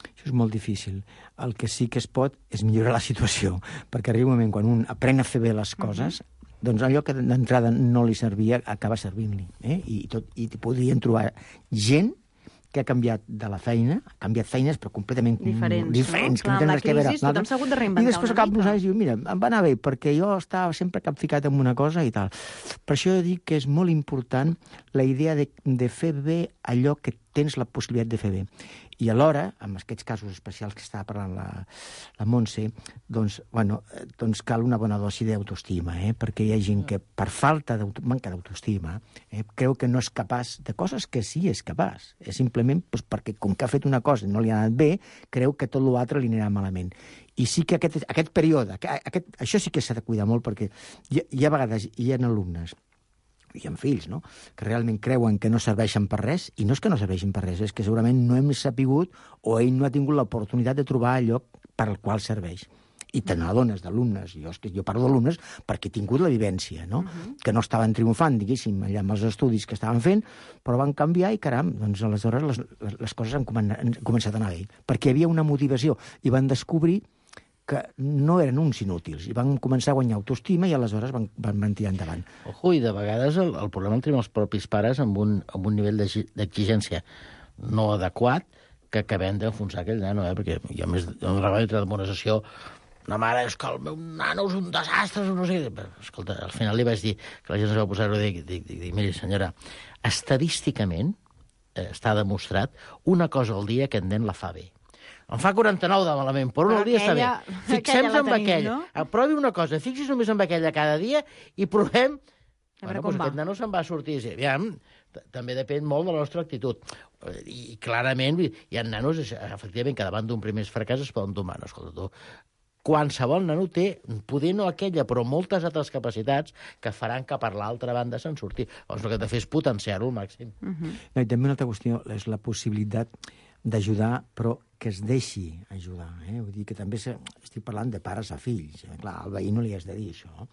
Això és molt difícil. El que sí que es pot és millorar la situació, perquè arriba un moment quan un aprèn a fer bé les coses, uh-huh. doncs allò que d'entrada no li servia acaba servint-li. Eh? I, tot, I podrien trobar gent que ha canviat de la feina, ha canviat feines, però completament diferents. diferents No? Clar, amb la crisi tothom s'ha hagut de reinventar I després una cap mica. nosaltres diu, mira, em va anar bé, perquè jo estava sempre capficat en una cosa i tal. Per això jo dic que és molt important la idea de, de fer bé allò que tens la possibilitat de fer bé. I alhora, en aquests casos especials que estava parlant la, la Montse, doncs, bueno, doncs cal una bona dosi d'autoestima, eh? Perquè hi ha gent que per falta de manca d'autoestima eh, creu que no és capaç de coses que sí és capaç. És simplement doncs, perquè com que ha fet una cosa i no li ha anat bé, creu que tot l'altre li anirà malament. I sí que aquest, aquest període, aquest, això sí que s'ha de cuidar molt, perquè hi, hi ha vegades hi ha alumnes i amb fills, no?, que realment creuen que no serveixen per res, i no és que no serveixin per res, és que segurament no hem sapigut o ell no ha tingut l'oportunitat de trobar allò per al qual serveix. I te n'adones d'alumnes, jo, jo parlo d'alumnes perquè he tingut la vivència, no?, uh-huh. que no estaven triomfant, diguéssim, allà amb els estudis que estaven fent, però van canviar i, caram, doncs aleshores les, les, les coses han, comen han començat a anar bé, perquè hi havia una motivació, i van descobrir que no eren uns inútils, i van començar a guanyar autoestima i aleshores van, van, van tirar endavant. Ojo, i de vegades el, el problema el tenim els propis pares amb un, amb un nivell d'exigència no adequat que acabem d'enfonsar aquell nano, eh? Perquè jo més en la demonització una mare, és que el meu nano és un desastre, no sé què. Escolta, al final li vaig dir que la gent es va posar-ho i dic, dic, dic, dic, miri, senyora, estadísticament eh, està demostrat una cosa al dia que en nen la fa bé. Em fa quaranta-nou de malament, però un al dia està bé. Fixem-nos en aquella. No? Provi una cosa, fixis només en aquella cada dia i provem... Bueno, doncs aquest nano se'n va sortir i dir, aviam, també depèn molt de la nostra actitud. I clarament hi ha nanos, efectivament, que davant d'un primer fracàs es poden domar. No, escolta, tu, qualsevol nano té, poder no aquella, però moltes altres capacitats que faran que per l'altra banda se'n surti. Llavors el que has de fer és potenciar-ho al màxim. Uh-huh. No, i també una altra qüestió és la possibilitat d'ajudar, però que es deixi ajudar. Eh? Vull dir que també se... estic parlant de pares a fills. Eh? Clar, al veí no li has de dir això.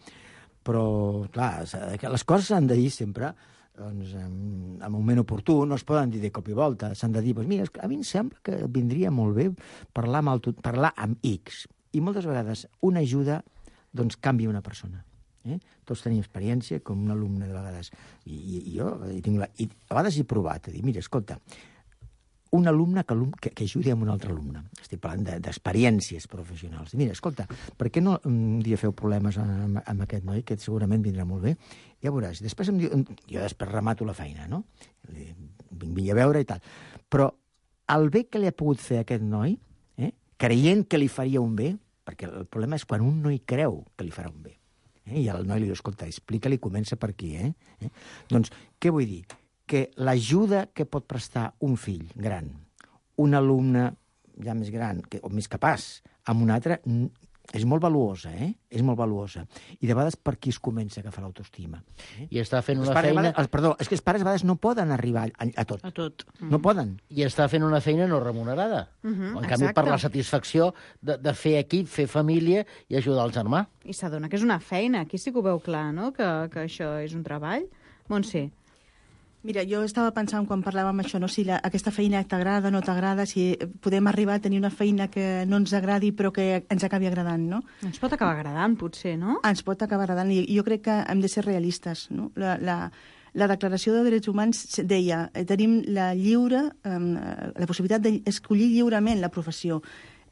Però, clar, les coses s'han de dir sempre doncs, en, en un moment oportú, no es poden dir de cop i volta. S'han de dir, doncs, mira, a mi em sembla que vindria molt bé parlar amb, el, parlar amb X. I moltes vegades una ajuda doncs, canvia una persona. Eh? Tots tenim experiència, com un alumne de vegades. I, i, i jo i tinc la, i a vegades he provat a dir, mira, escolta, un alumne que, que, que ajudi amb un altre alumne. Estic parlant d'experiències de, professionals. Mira, escolta, per què no un dia feu problemes amb, amb aquest noi, que segurament vindrà molt bé? Ja veuràs. Després em diu, jo després remato la feina, no? Vinc a veure i tal. Però el bé que li ha pogut fer aquest noi, eh, creient que li faria un bé, perquè el problema és quan un no hi creu que li farà un bé. Eh? I el noi li diu, escolta, explica-li, comença per aquí. Eh? Eh? Doncs, què vull dir? Que l'ajuda que pot prestar un fill gran, un alumne ja més gran que, o més capaç, amb un altre, és molt valuosa, eh? És molt valuosa. I de vegades per qui es comença a agafar l'autoestima. Eh? I està fent una feina... Vegades, els, perdó, és que els pares a vegades no poden arribar a, a tot. A tot. No poden. I està fent una feina no remunerada. Uh -huh, en canvi, exacte. per la satisfacció de, de fer equip, fer família i ajudar el germà. I s'adona que és una feina. Aquí sí que ho veu clar, no?, que, que això és un treball. Montse. Mira, jo estava pensant quan parlàvem això, no? Si la, aquesta feina t'agrada o no t'agrada, si podem arribar a tenir una feina que no ens agradi però que ens acabi agradant, no? Ens pot acabar agradant, potser, no? Ens pot acabar agradant, i jo crec que hem de ser realistes, no? La, la, la Declaració de Drets Humans deia, tenim la lliure, eh, la possibilitat d'escollir lliurement la professió.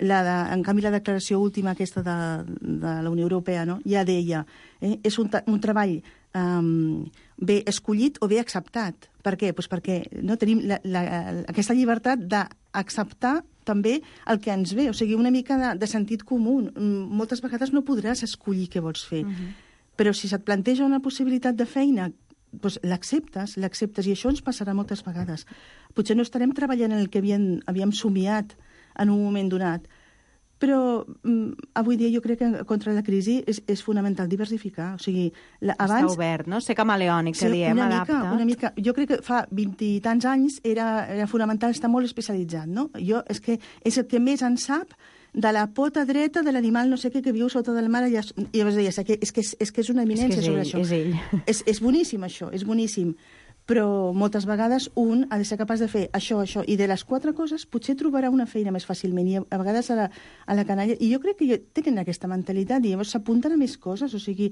La de, en canvi, la declaració última aquesta de, de la Unió Europea, no?, ja deia, eh, és un, un treball um, bé escollit o bé acceptat. Per què? Pues perquè no, tenim la, la, aquesta llibertat d'acceptar també el que ens ve, o sigui, una mica de, de sentit comú. Moltes vegades no podràs escollir què vols fer, uh-huh. però si se't planteja una possibilitat de feina, doncs l'acceptes, l'acceptes, i això ens passarà moltes vegades. Potser no estarem treballant en el que havíem, havíem somiat en un moment donat, però mm, avui dia jo crec que contra la crisi és, és fonamental diversificar. O sigui, la, abans... Està obert, no? Ser camaleònic, que sí, diem, una adapta. Mica, una mica. Jo crec que fa vint i tants anys era, era fonamental estar molt especialitzat, no? Jo, és que és el que més en sap de la pota dreta de l'animal no sé què que viu sota del mar. I llavors deies, és que és, és, que és una eminència és que és sobre ell, això. És ell. És, és boníssim, això, és boníssim. Però moltes vegades un ha de ser capaç de fer això, això, i de les quatre coses potser trobarà una feina més fàcilment, i a vegades a la, a la canalla, i jo crec que tenen aquesta mentalitat, i llavors s'apunten a més coses, o sigui,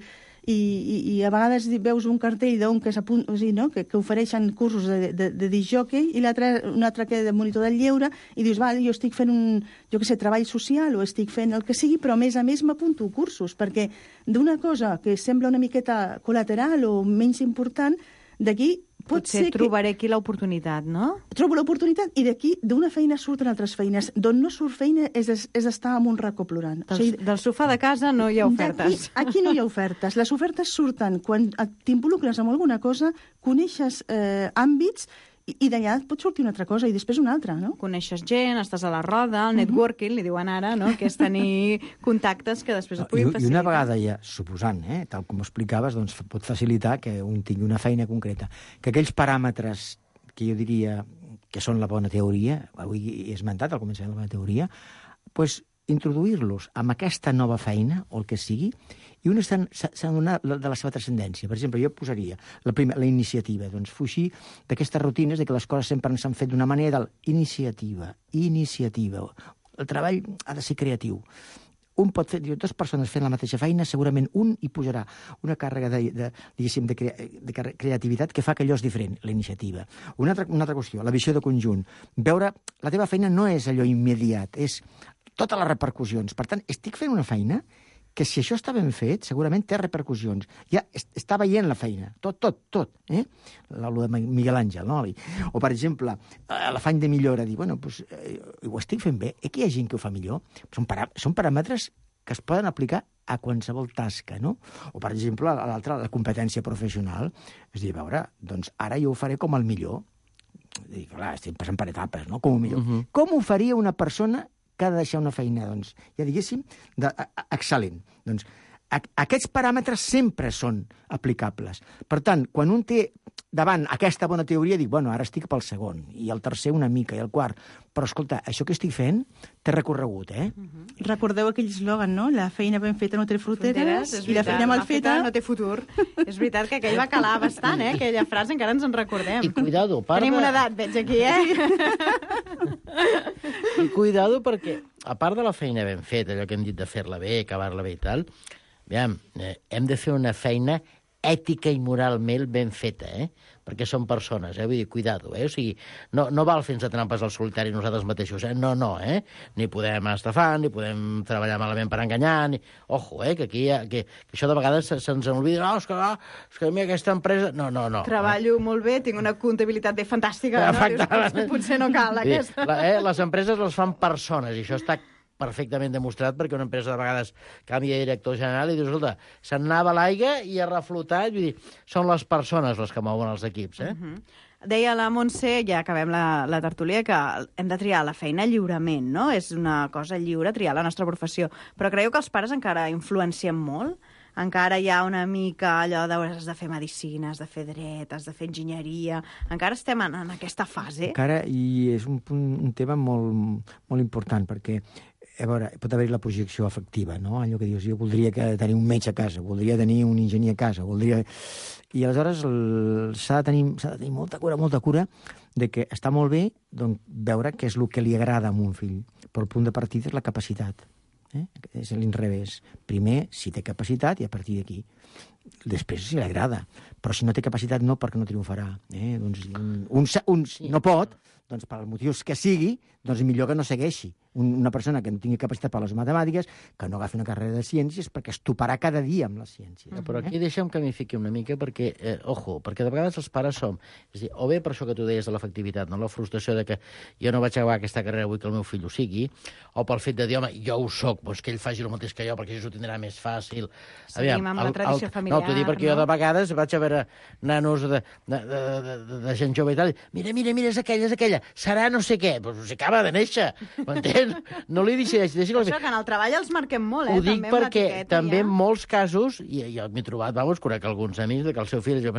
i, i, i a vegades veus un cartell d'un que s'apunta, o sigui, no?, que, que ofereixen cursos de, de, de discjòquei, i l'altre, un altre que de monitor del lleure, i dius, val, jo estic fent un, jo què sé, treball social, o estic fent el que sigui, però a més a més m'apunto cursos, perquè d'una cosa que sembla una miqueta col·lateral o menys important, d'aquí pot Potser ser trobaré aquí l'oportunitat, no? Trobo l'oportunitat i d'aquí, d'una feina surten altres feines. D'on no surt feina és, és estar en un racó plorant. Del, o sigui, del sofà de casa no hi ha ofertes. Aquí, aquí no hi ha ofertes. Les ofertes surten quan t'involucres amb alguna cosa, coneixes eh, àmbits i, i d'allà pot sortir una altra cosa i després una altra, no? Coneixes gent, estàs a la roda, el networking, li diuen ara, no?, que és tenir contactes que després et puguin I, facilitar. I una vegada ja, suposant, eh, tal com ho explicaves, doncs pot facilitar que un tingui una feina concreta. Que aquells paràmetres que jo diria que són la bona teoria, avui he esmentat al començament la bona teoria, doncs introduir-los amb aquesta nova feina, o el que sigui, i un s'ha donat de la seva transcendència. Per exemple, jo posaria la, primer, la iniciativa, doncs fugir d'aquestes rutines de que les coses sempre s'han fet d'una manera, d'iniciativa, iniciativa. El treball ha de ser creatiu. Un pot fer, dues persones fent la mateixa feina, segurament un hi posarà una càrrega de, de, diguéssim, de, crea, de creativitat que fa que allò és diferent, la iniciativa. Una altra, una altra qüestió, la visió de conjunt. Veure, la teva feina no és allò immediat, és totes les repercussions. Per tant, estic fent una feina que si això està ben fet, segurament té repercussions. Ja està veient la feina, tot, tot, tot. Eh? L'alo de Miguel Àngel, no? O, per exemple, l'afany de millora, dir, bueno, doncs, eh, ho estic fent bé, eh, que hi ha gent que ho fa millor. Són, parà són paràmetres que es poden aplicar a qualsevol tasca, no? O, per exemple, l'altra, la competència professional. És dir, a veure, doncs ara jo ho faré com el millor. I, clar, estem passant per etapes, no? Com el millor. Uh-huh. Com ho faria una persona que ha de deixar una feina, doncs, ja diguéssim, de, a, a, excel·lent. Doncs, a, aquests paràmetres sempre són aplicables. Per tant, quan un té davant aquesta bona teoria, dic, bueno, ara estic pel segon, i el tercer una mica, i el quart. Però, escolta, això que estic fent té recorregut, eh? Uh-huh. Recordeu aquell eslògan, no? La feina ben feta no té fronteres, fronteres i la feina mal feta no té futur. És veritat que aquell va calar bastant, eh? Aquella frase encara ens en recordem. I cuidado, part Tenim de... una edat, veig aquí, eh? I cuidado perquè, a part de la feina ben feta, allò que hem dit de fer-la bé, acabar-la bé i tal, aviam, eh, hem de fer una feina ètica i moralment ben feta, eh? Perquè són persones, eh? Vull dir, cuidado, eh? O sigui, no, no val fins a trampes al solitari nosaltres mateixos, eh? No, no, eh? Ni podem estafar, ni podem treballar malament per enganyar, ni... Ojo, eh? Que aquí hi ha... Que, que això de vegades se'ns se oblida, no, és que, no, és que a mi aquesta empresa... No, no, no. Treballo eh? molt bé, tinc una comptabilitat de fantàstica, no? Dius, potser no cal, aquesta. La, eh? Les empreses les fan persones, i això està perfectament demostrat, perquè una empresa de vegades canvia de director general i dius, escolta, se'n anava l'aigua i ha reflotat, vull dir, són les persones les que mouen els equips, eh? Uh-huh. Deia la Montse, ja acabem la, la tertúlia, que hem de triar la feina lliurement, no? És una cosa lliure triar la nostra professió. Però creieu que els pares encara influencien molt? Encara hi ha una mica allò de has de fer medicina, has de fer dret, has de fer enginyeria... Encara estem en, en aquesta fase? Encara, i és un, punt, un tema molt, molt important, perquè a veure, pot haver-hi la projecció afectiva, no? Allò que dius, jo voldria que tenir un metge a casa, voldria tenir un enginyer a casa, voldria... I aleshores s'ha de, tenir, s'ha de tenir molta cura, molta cura de que està molt bé doncs, veure què és el que li agrada a un fill, però el punt de partida és la capacitat. Eh? És l'inrevés. Primer, si té capacitat, i a partir d'aquí. després si li agrada. Però si no té capacitat, no, perquè no triomfarà. Eh? Doncs un, un, un sí. no pot, doncs per motius que sigui, doncs millor que no segueixi. Un, una persona que no tingui capacitat per les matemàtiques, que no agafi una carrera de ciències, perquè es toparà cada dia amb les ciències. Mm-hmm. Però aquí deixa'm que m'hi fiqui una mica, perquè, eh, ojo, perquè de vegades els pares som... És a dir, o bé per això que tu deies de l'efectivitat, no? La frustració de que jo no vaig acabar aquesta carrera, vull que el meu fill ho sigui, o pel fet de dir, home, jo ho soc, doncs que ell faci el mateix que jo, perquè això ho tindrà més fàcil. Seguim Aviam, amb el, la tradició el, familiar, no? T'ho dic perquè no? jo de vegades vaig a veure nanos de, de, de, de, de, de gent jove i tal, mira, mira, mira, és aquella, és aquella, serà no sé què, doncs si acaba de néixer, m'entens? No li decideixi. Deixi això que en el treball els marquem molt, eh? Ho dic també perquè també ja. en molts casos, i jo m'he trobat, vamos, conec alguns amics, que el seu fill... Jo,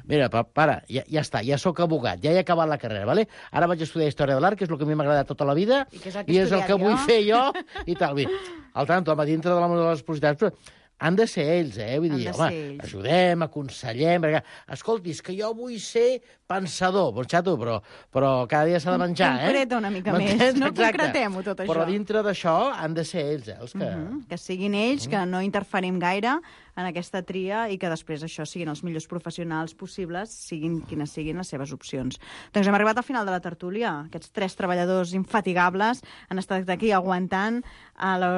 mira, pa, para, ja, ja està, ja sóc abogat, ja he acabat la carrera, ¿vale? Ara vaig estudiar Història de l'Art, que és el que a mi m'ha agradat tota la vida, i, que és el que, i és el que jo? vull fer jo, i tal. Al tanto, home, dintre de la de les possibilitats, però han de ser ells, eh? Vull dir, home, ajudem, aconsellem, perquè, escolti, és que jo vull ser pensador, doncs xato, però, però cada dia s'ha de menjar, eh? Concreta una mica més, no concretem-ho tot això. Però dintre d'això han de ser ells, eh? Els que... Mm-hmm. Que siguin ells, que no interferim gaire en aquesta tria i que després això siguin els millors professionals possibles, siguin quines siguin les seves opcions. Doncs hem arribat al final de la tertúlia. Aquests tres treballadors infatigables han estat aquí aguantant a la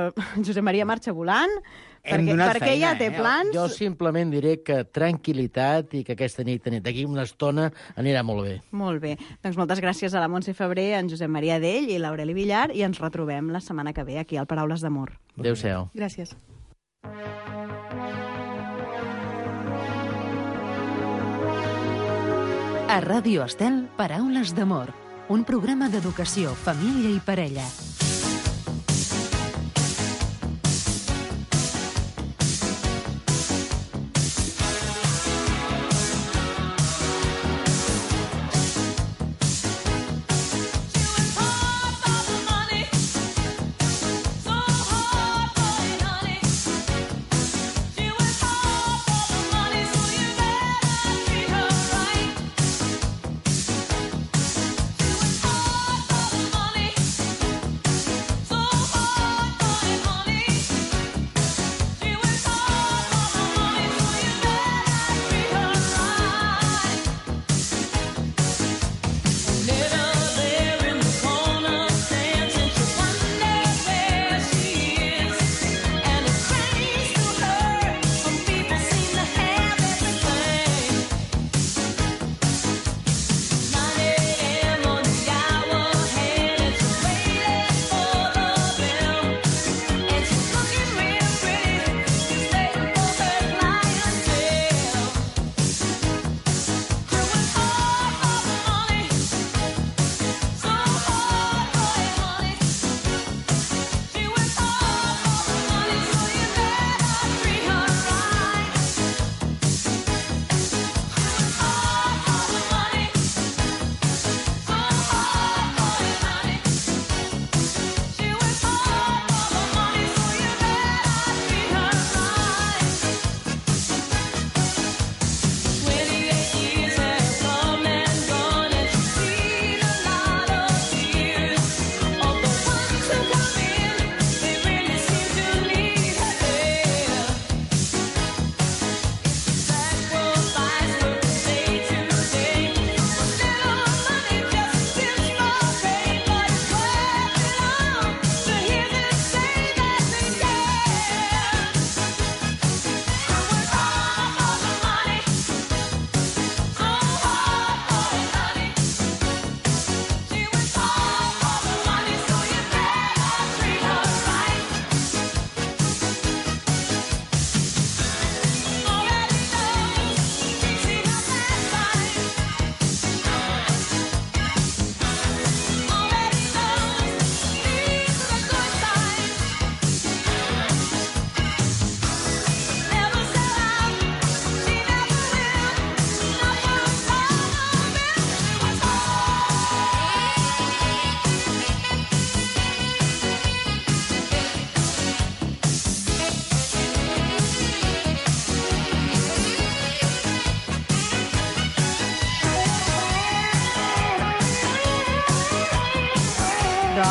Josep Maria Marxa volant, perquè, perquè feina, ja té plans. Eh? Jo simplement diré que tranquil·litat i que aquesta nit, d'aquí una estona, anirà molt bé. Molt bé. Doncs moltes gràcies a la Montse Febrer, en Josep Maria Dell i l'Aureli Villar, i ens retrobem la setmana que ve aquí al Paraules d'Amor. Adéu-siau. Gràcies. A Ràdio Estel, Paraules d'Amor, un programa d'educació, família i parella.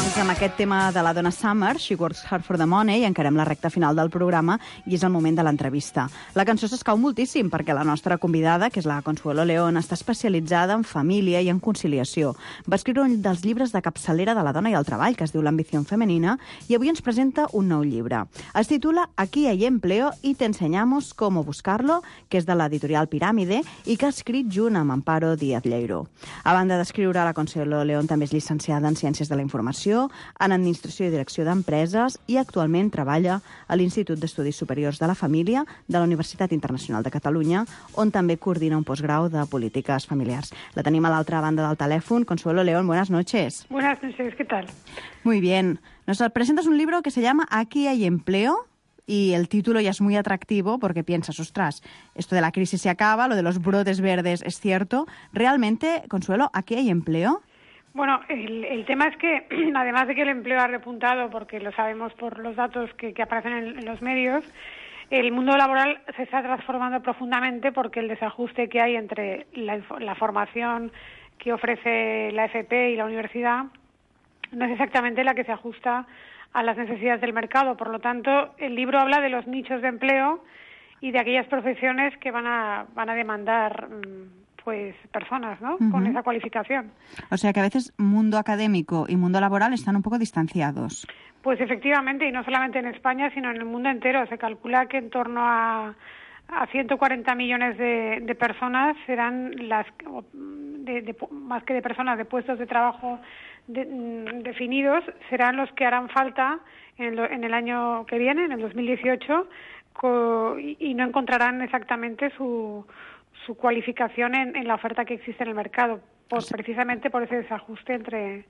Doncs amb aquest tema de la Donna Summer, She Works Hard for the Money, encarem la recta final del programa i és el moment de l'entrevista. La cançó s'escau moltíssim perquè la nostra convidada, que és la Consuelo León, està especialitzada en família i en conciliació. Va escriure un dels llibres de capçalera de la dona i el treball, que es diu L'ambició femenina, i avui ens presenta un nou llibre. Es titula Aquí hay empleo y te enseñamos cómo buscarlo, que és de l'editorial Piràmide i que ha escrit junt amb Amparo Díaz Lleiro. A banda d'escriure, la Consuelo León també és llicenciada en Ciències de la Informació, en Administració i Direcció d'Empreses i actualment treballa a l'Institut d'Estudis Superiors de la Família de la Universitat Internacional de Catalunya, on també coordina un postgrau de Polítiques Familiars. La tenim a l'altra banda del telèfon. Consuelo León, buenas noches. Buenas noches, ¿qué tal? Muy bien. Nos presentas un libro que se llama Aquí hay empleo. Y el título ya es muy atractivo porque piensas, ostras, esto de la crisis se acaba, lo de los brotes verdes es cierto. ¿Realmente, Consuelo, aquí hay empleo? Bueno, el, el tema es que, además de que el empleo ha repuntado, porque lo sabemos por los datos que, que aparecen en, en los medios, el mundo laboral se está transformando profundamente porque el desajuste que hay entre la, la formación que ofrece la F P y la universidad no es exactamente la que se ajusta a las necesidades del mercado. Por lo tanto, el libro habla de los nichos de empleo y de aquellas profesiones que van a, van a demandar pues personas, ¿no? Uh-huh. Con esa cualificación. O sea que a veces mundo académico y mundo laboral están un poco distanciados. Pues efectivamente, y no solamente en España, sino en el mundo entero. Se calcula que en torno a, a ciento cuarenta millones de, de personas serán las, de, de, más que de personas, de puestos de trabajo de, definidos, serán los que harán falta en, lo, en el año que viene, en el dos mil dieciocho, co, y, y no encontrarán exactamente su su cualificación en, en la oferta que existe en el mercado, por, precisamente por ese desajuste entre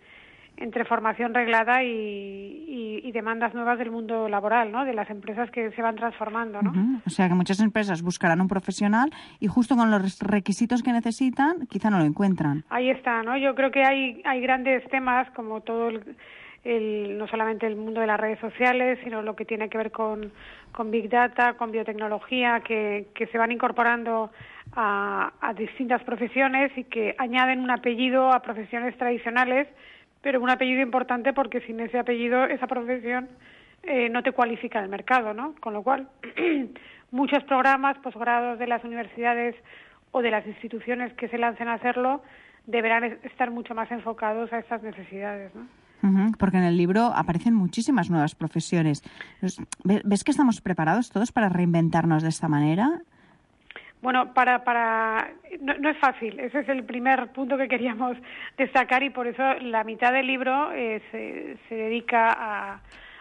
entre formación reglada y, y, y demandas nuevas del mundo laboral, ¿no? De las empresas que se van transformando, ¿no? Uh-huh. O sea que muchas empresas buscarán un profesional y justo con los requisitos que necesitan quizá no lo encuentran. Ahí está, ¿no? Yo creo que hay hay grandes temas como todo el El, no solamente el mundo de las redes sociales, sino lo que tiene que ver con, con Big Data, con biotecnología, que, que se van incorporando a, a distintas profesiones y que añaden un apellido a profesiones tradicionales, pero un apellido importante porque sin ese apellido, esa profesión eh, no te cualifica en el mercado, ¿no? Con lo cual, muchos programas, posgrados de las universidades o de las instituciones que se lancen a hacerlo deberán estar mucho más enfocados a estas necesidades, ¿no? Uh-huh, porque en el libro aparecen muchísimas nuevas profesiones. ¿Ves que estamos preparados todos para reinventarnos de esta manera? Bueno, para para no, no es fácil. Ese es el primer punto que queríamos destacar y por eso la mitad del libro eh, se, se dedica a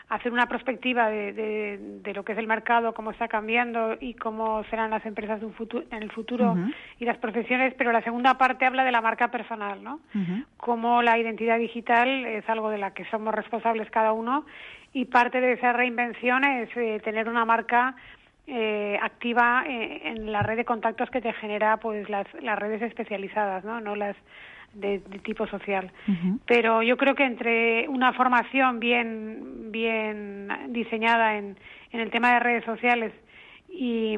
hacer una perspectiva de, de, de lo que es el mercado, cómo está cambiando y cómo serán las empresas de un futuro, en el futuro uh-huh. y las profesiones, pero la segunda parte habla de la marca personal, ¿no? Uh-huh. Cómo la identidad digital es algo de la que somos responsables cada uno y parte de esa reinvención es eh, tener una marca eh, activa eh, en la red de contactos que te genera pues las, las redes especializadas, ¿no? No las De, de tipo social. Uh-huh. Pero yo creo que entre una formación bien bien diseñada en, en el tema de redes sociales y,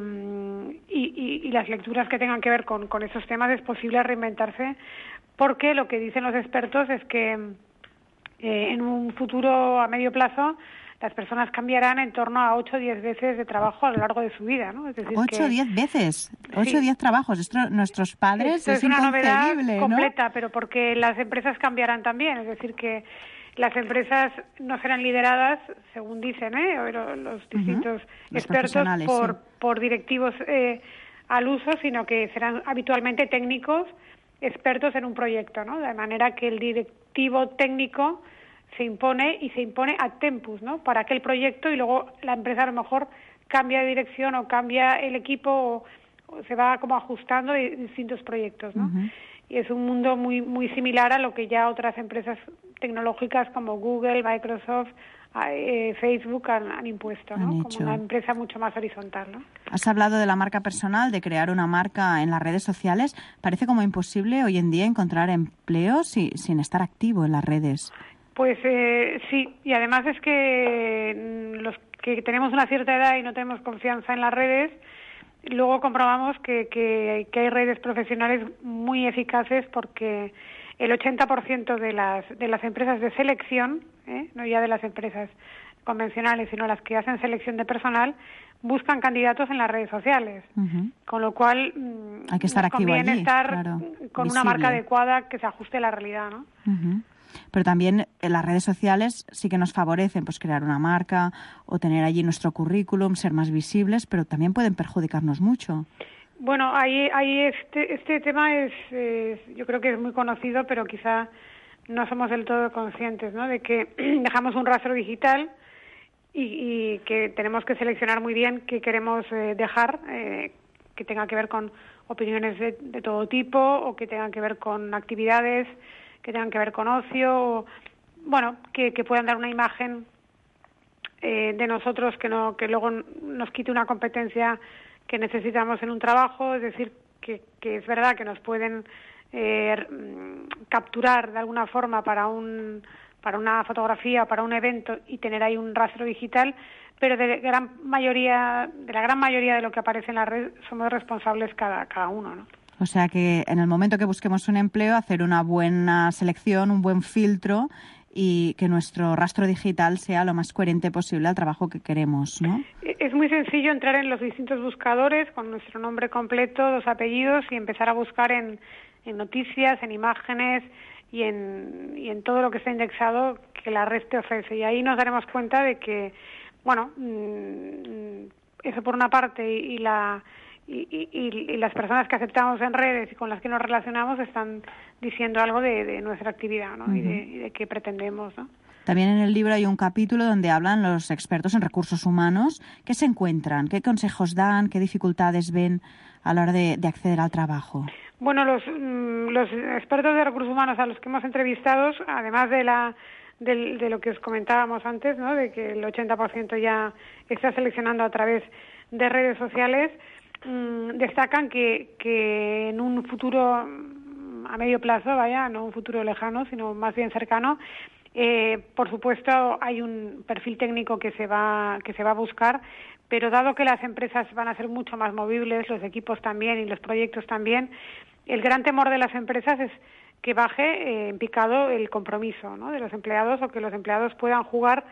y, y las lecturas que tengan que ver con, con esos temas es posible reinventarse, porque lo que dicen los expertos es que eh, en un futuro a medio plazo las personas cambiarán en torno a ocho o diez veces de trabajo a lo largo de su vida, ¿no? Es decir, ocho o diez veces, ocho o diez trabajos. Esto nuestros padres Esto es, es una novedad inconcebible, completa, ¿no? Pero porque las empresas cambiarán también, es decir, que las empresas no serán lideradas, según dicen, ¿eh? los distintos uh-huh. expertos por, sí. por directivos eh, al uso, sino que serán habitualmente técnicos expertos en un proyecto, ¿no? De manera que el directivo técnico se impone y se impone ad tempus, ¿no? Para aquel proyecto y luego la empresa a lo mejor cambia de dirección o cambia el equipo o, o se va como ajustando a distintos proyectos, ¿no? Uh-huh. Y es un mundo muy muy similar a lo que ya otras empresas tecnológicas como Google, Microsoft, eh, Facebook han, han impuesto, ¿no? Han como una empresa mucho más horizontal, ¿no? Has hablado de la marca personal, de crear una marca en las redes sociales. Parece como imposible hoy en día encontrar empleo si, sin estar activo en las redes. Pues eh, sí, y además es que los que tenemos una cierta edad y no tenemos confianza en las redes, luego comprobamos que, que, que hay redes profesionales muy eficaces porque el ochenta por ciento de las, de las empresas de selección, ¿eh? no ya de las empresas convencionales, sino las que hacen selección de personal, buscan candidatos en las redes sociales. Uh-huh. Con lo cual, hay que estar nos activo conviene allí, estar claro, con visible. Una marca adecuada que se ajuste a la realidad, ¿no? Uh-huh. Pero también en las redes sociales sí que nos favorecen pues crear una marca o tener allí nuestro currículum, ser más visibles, pero también pueden perjudicarnos mucho. Bueno, ahí, ahí este, este tema es, es, yo creo que es muy conocido, pero quizá no somos del todo conscientes, ¿no? De que dejamos un rastro digital y, y que tenemos que seleccionar muy bien qué queremos eh, dejar, eh, que tenga que ver con opiniones de, de todo tipo o que tengan que ver con actividades, que tengan que ver con ocio, o, bueno, que, que puedan dar una imagen eh, de nosotros que no que luego nos quite una competencia que necesitamos en un trabajo, es decir, que, que es verdad que nos pueden eh, capturar de alguna forma para un para una fotografía o para un evento y tener ahí un rastro digital, pero de gran mayoría de la gran mayoría de lo que aparece en la red somos responsables cada cada uno, ¿no? O sea que en el momento que busquemos un empleo, hacer una buena selección, un buen filtro y que nuestro rastro digital sea lo más coherente posible al trabajo que queremos, ¿no? Es muy sencillo entrar en los distintos buscadores con nuestro nombre completo, los apellidos y empezar a buscar en, en noticias, en imágenes y en, y en todo lo que está indexado que la red te ofrece. Y ahí nos daremos cuenta de que, bueno, mmm, eso por una parte y, y la... Y, y, y las personas que aceptamos en redes y con las que nos relacionamos están diciendo algo de, de nuestra actividad, ¿no? Uh-huh. y, de, y de qué pretendemos, ¿no? También en el libro hay un capítulo donde hablan los expertos en recursos humanos. ¿Qué se encuentran? ¿Qué consejos dan? ¿Qué dificultades ven a la hora de, de acceder al trabajo? Bueno, los, los expertos de recursos humanos a los que hemos entrevistado, además de la de, de lo que os comentábamos antes, ¿no? De que el ochenta por ciento ya está seleccionando a través de redes sociales, destacan que, que en un futuro a medio plazo, vaya, no un futuro lejano, sino más bien cercano, eh, por supuesto hay un perfil técnico que se va que se va a buscar, pero dado que las empresas van a ser mucho más movibles, los equipos también y los proyectos también, el gran temor de las empresas es que baje eh, en picado el compromiso, ¿no? de los empleados o que los empleados puedan jugar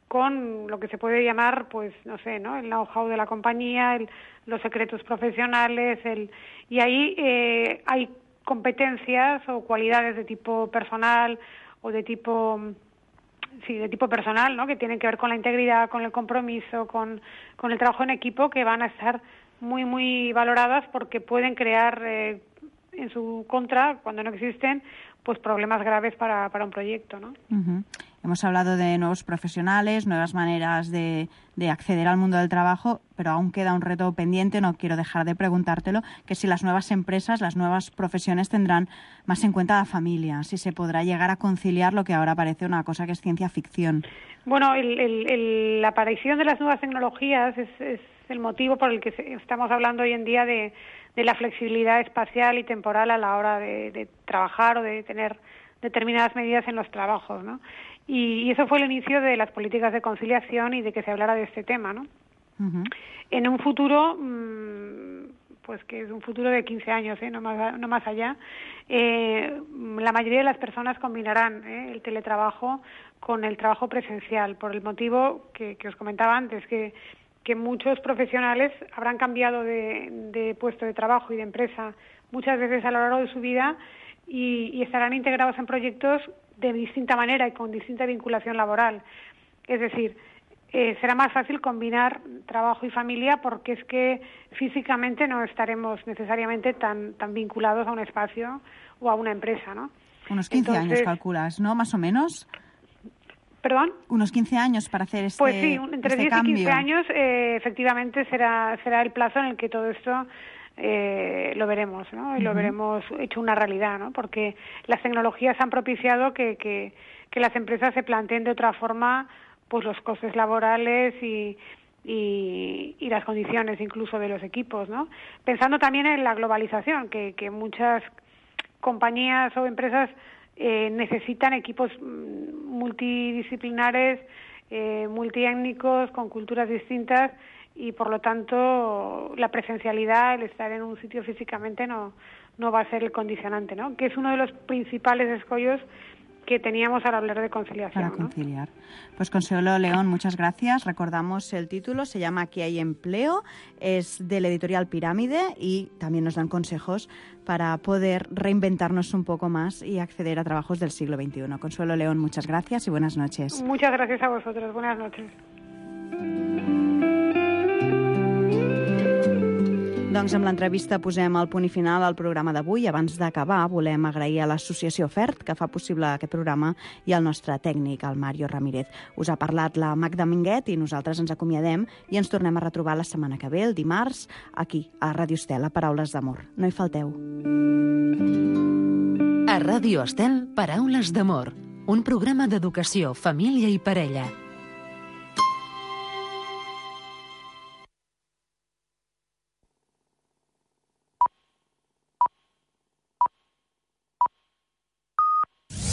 con lo que se puede llamar, pues, no sé, ¿no? el know-how de la compañía, el, los secretos profesionales, el y ahí eh, hay competencias o cualidades de tipo personal o de tipo, sí, de tipo personal, ¿no? que tienen que ver con la integridad, con el compromiso, con, con el trabajo en equipo, que van a estar muy, muy valoradas porque pueden crear eh, en su contra, cuando no existen, pues problemas graves para, para un proyecto, ¿no? Uh-huh. Hemos hablado de nuevos profesionales, nuevas maneras de, de acceder al mundo del trabajo, pero aún queda un reto pendiente, no quiero dejar de preguntártelo, que si las nuevas empresas, las nuevas profesiones tendrán más en cuenta la familia, si se podrá llegar a conciliar lo que ahora parece una cosa que es ciencia ficción. Bueno, el, el, el, la aparición de las nuevas tecnologías es, es el motivo por el que estamos hablando hoy en día de, de la flexibilidad espacial y temporal a la hora de, de trabajar o de tener determinadas medidas en los trabajos, ¿no? Y, y eso fue el inicio de las políticas de conciliación y de que se hablara de este tema, ¿no? Uh-huh. En un futuro, mmm, pues que es un futuro de quince años, ¿eh? no, más, no más allá, eh, la mayoría de las personas combinarán ¿eh? el teletrabajo con el trabajo presencial, por el motivo que, que os comentaba antes, que, que muchos profesionales habrán cambiado de, de puesto de trabajo y de empresa muchas veces a lo largo de su vida y, y estarán integrados en proyectos de distinta manera y con distinta vinculación laboral. Es decir, eh, será más fácil combinar trabajo y familia porque es que físicamente no estaremos necesariamente tan tan vinculados a un espacio o a una empresa, ¿no? Unos quince Entonces, años calculas, ¿no? Más o menos. ¿Perdón? Unos quince años para hacer este Pues sí, entre este diez cambio. y quince años eh, efectivamente será será el plazo en el que todo esto Eh, lo veremos, ¿no? Y lo uh-huh. veremos hecho una realidad, ¿no? Porque las tecnologías han propiciado que, que, que las empresas se planteen de otra forma pues los costes laborales y, y, y las condiciones incluso de los equipos, ¿no? Pensando también en la globalización, que, que muchas compañías o empresas eh, necesitan equipos multidisciplinares, eh, multiétnicos, con culturas distintas, y por lo tanto la presencialidad, el estar en un sitio físicamente no no va a ser el condicionante, ¿no? Que es uno de los principales escollos que teníamos al hablar de conciliación. Para conciliar. ¿No? Pues Consuelo León, muchas gracias. Recordamos el título, se llama Aquí hay empleo, es de la editorial Pirámide y también nos dan consejos para poder reinventarnos un poco más y acceder a trabajos del siglo veintiuno. Consuelo León, muchas gracias y buenas noches. Muchas gracias a vosotros. Buenas noches. Doncs amb l'entrevista posem el punt i final al programa d'avui. Abans d'acabar, volem agrair a l'associació FERT, que fa possible aquest programa, i al nostre tècnic, el Mario Ramírez. Us ha parlat la Magda Minguet i nosaltres ens acomiadem i ens tornem a retrobar la setmana que ve, el dimarts, aquí, a Ràdio Estel, a Paraules d'Amor. No hi falteu. A Ràdio Estel, Paraules d'Amor, un programa d'educació, família i parella.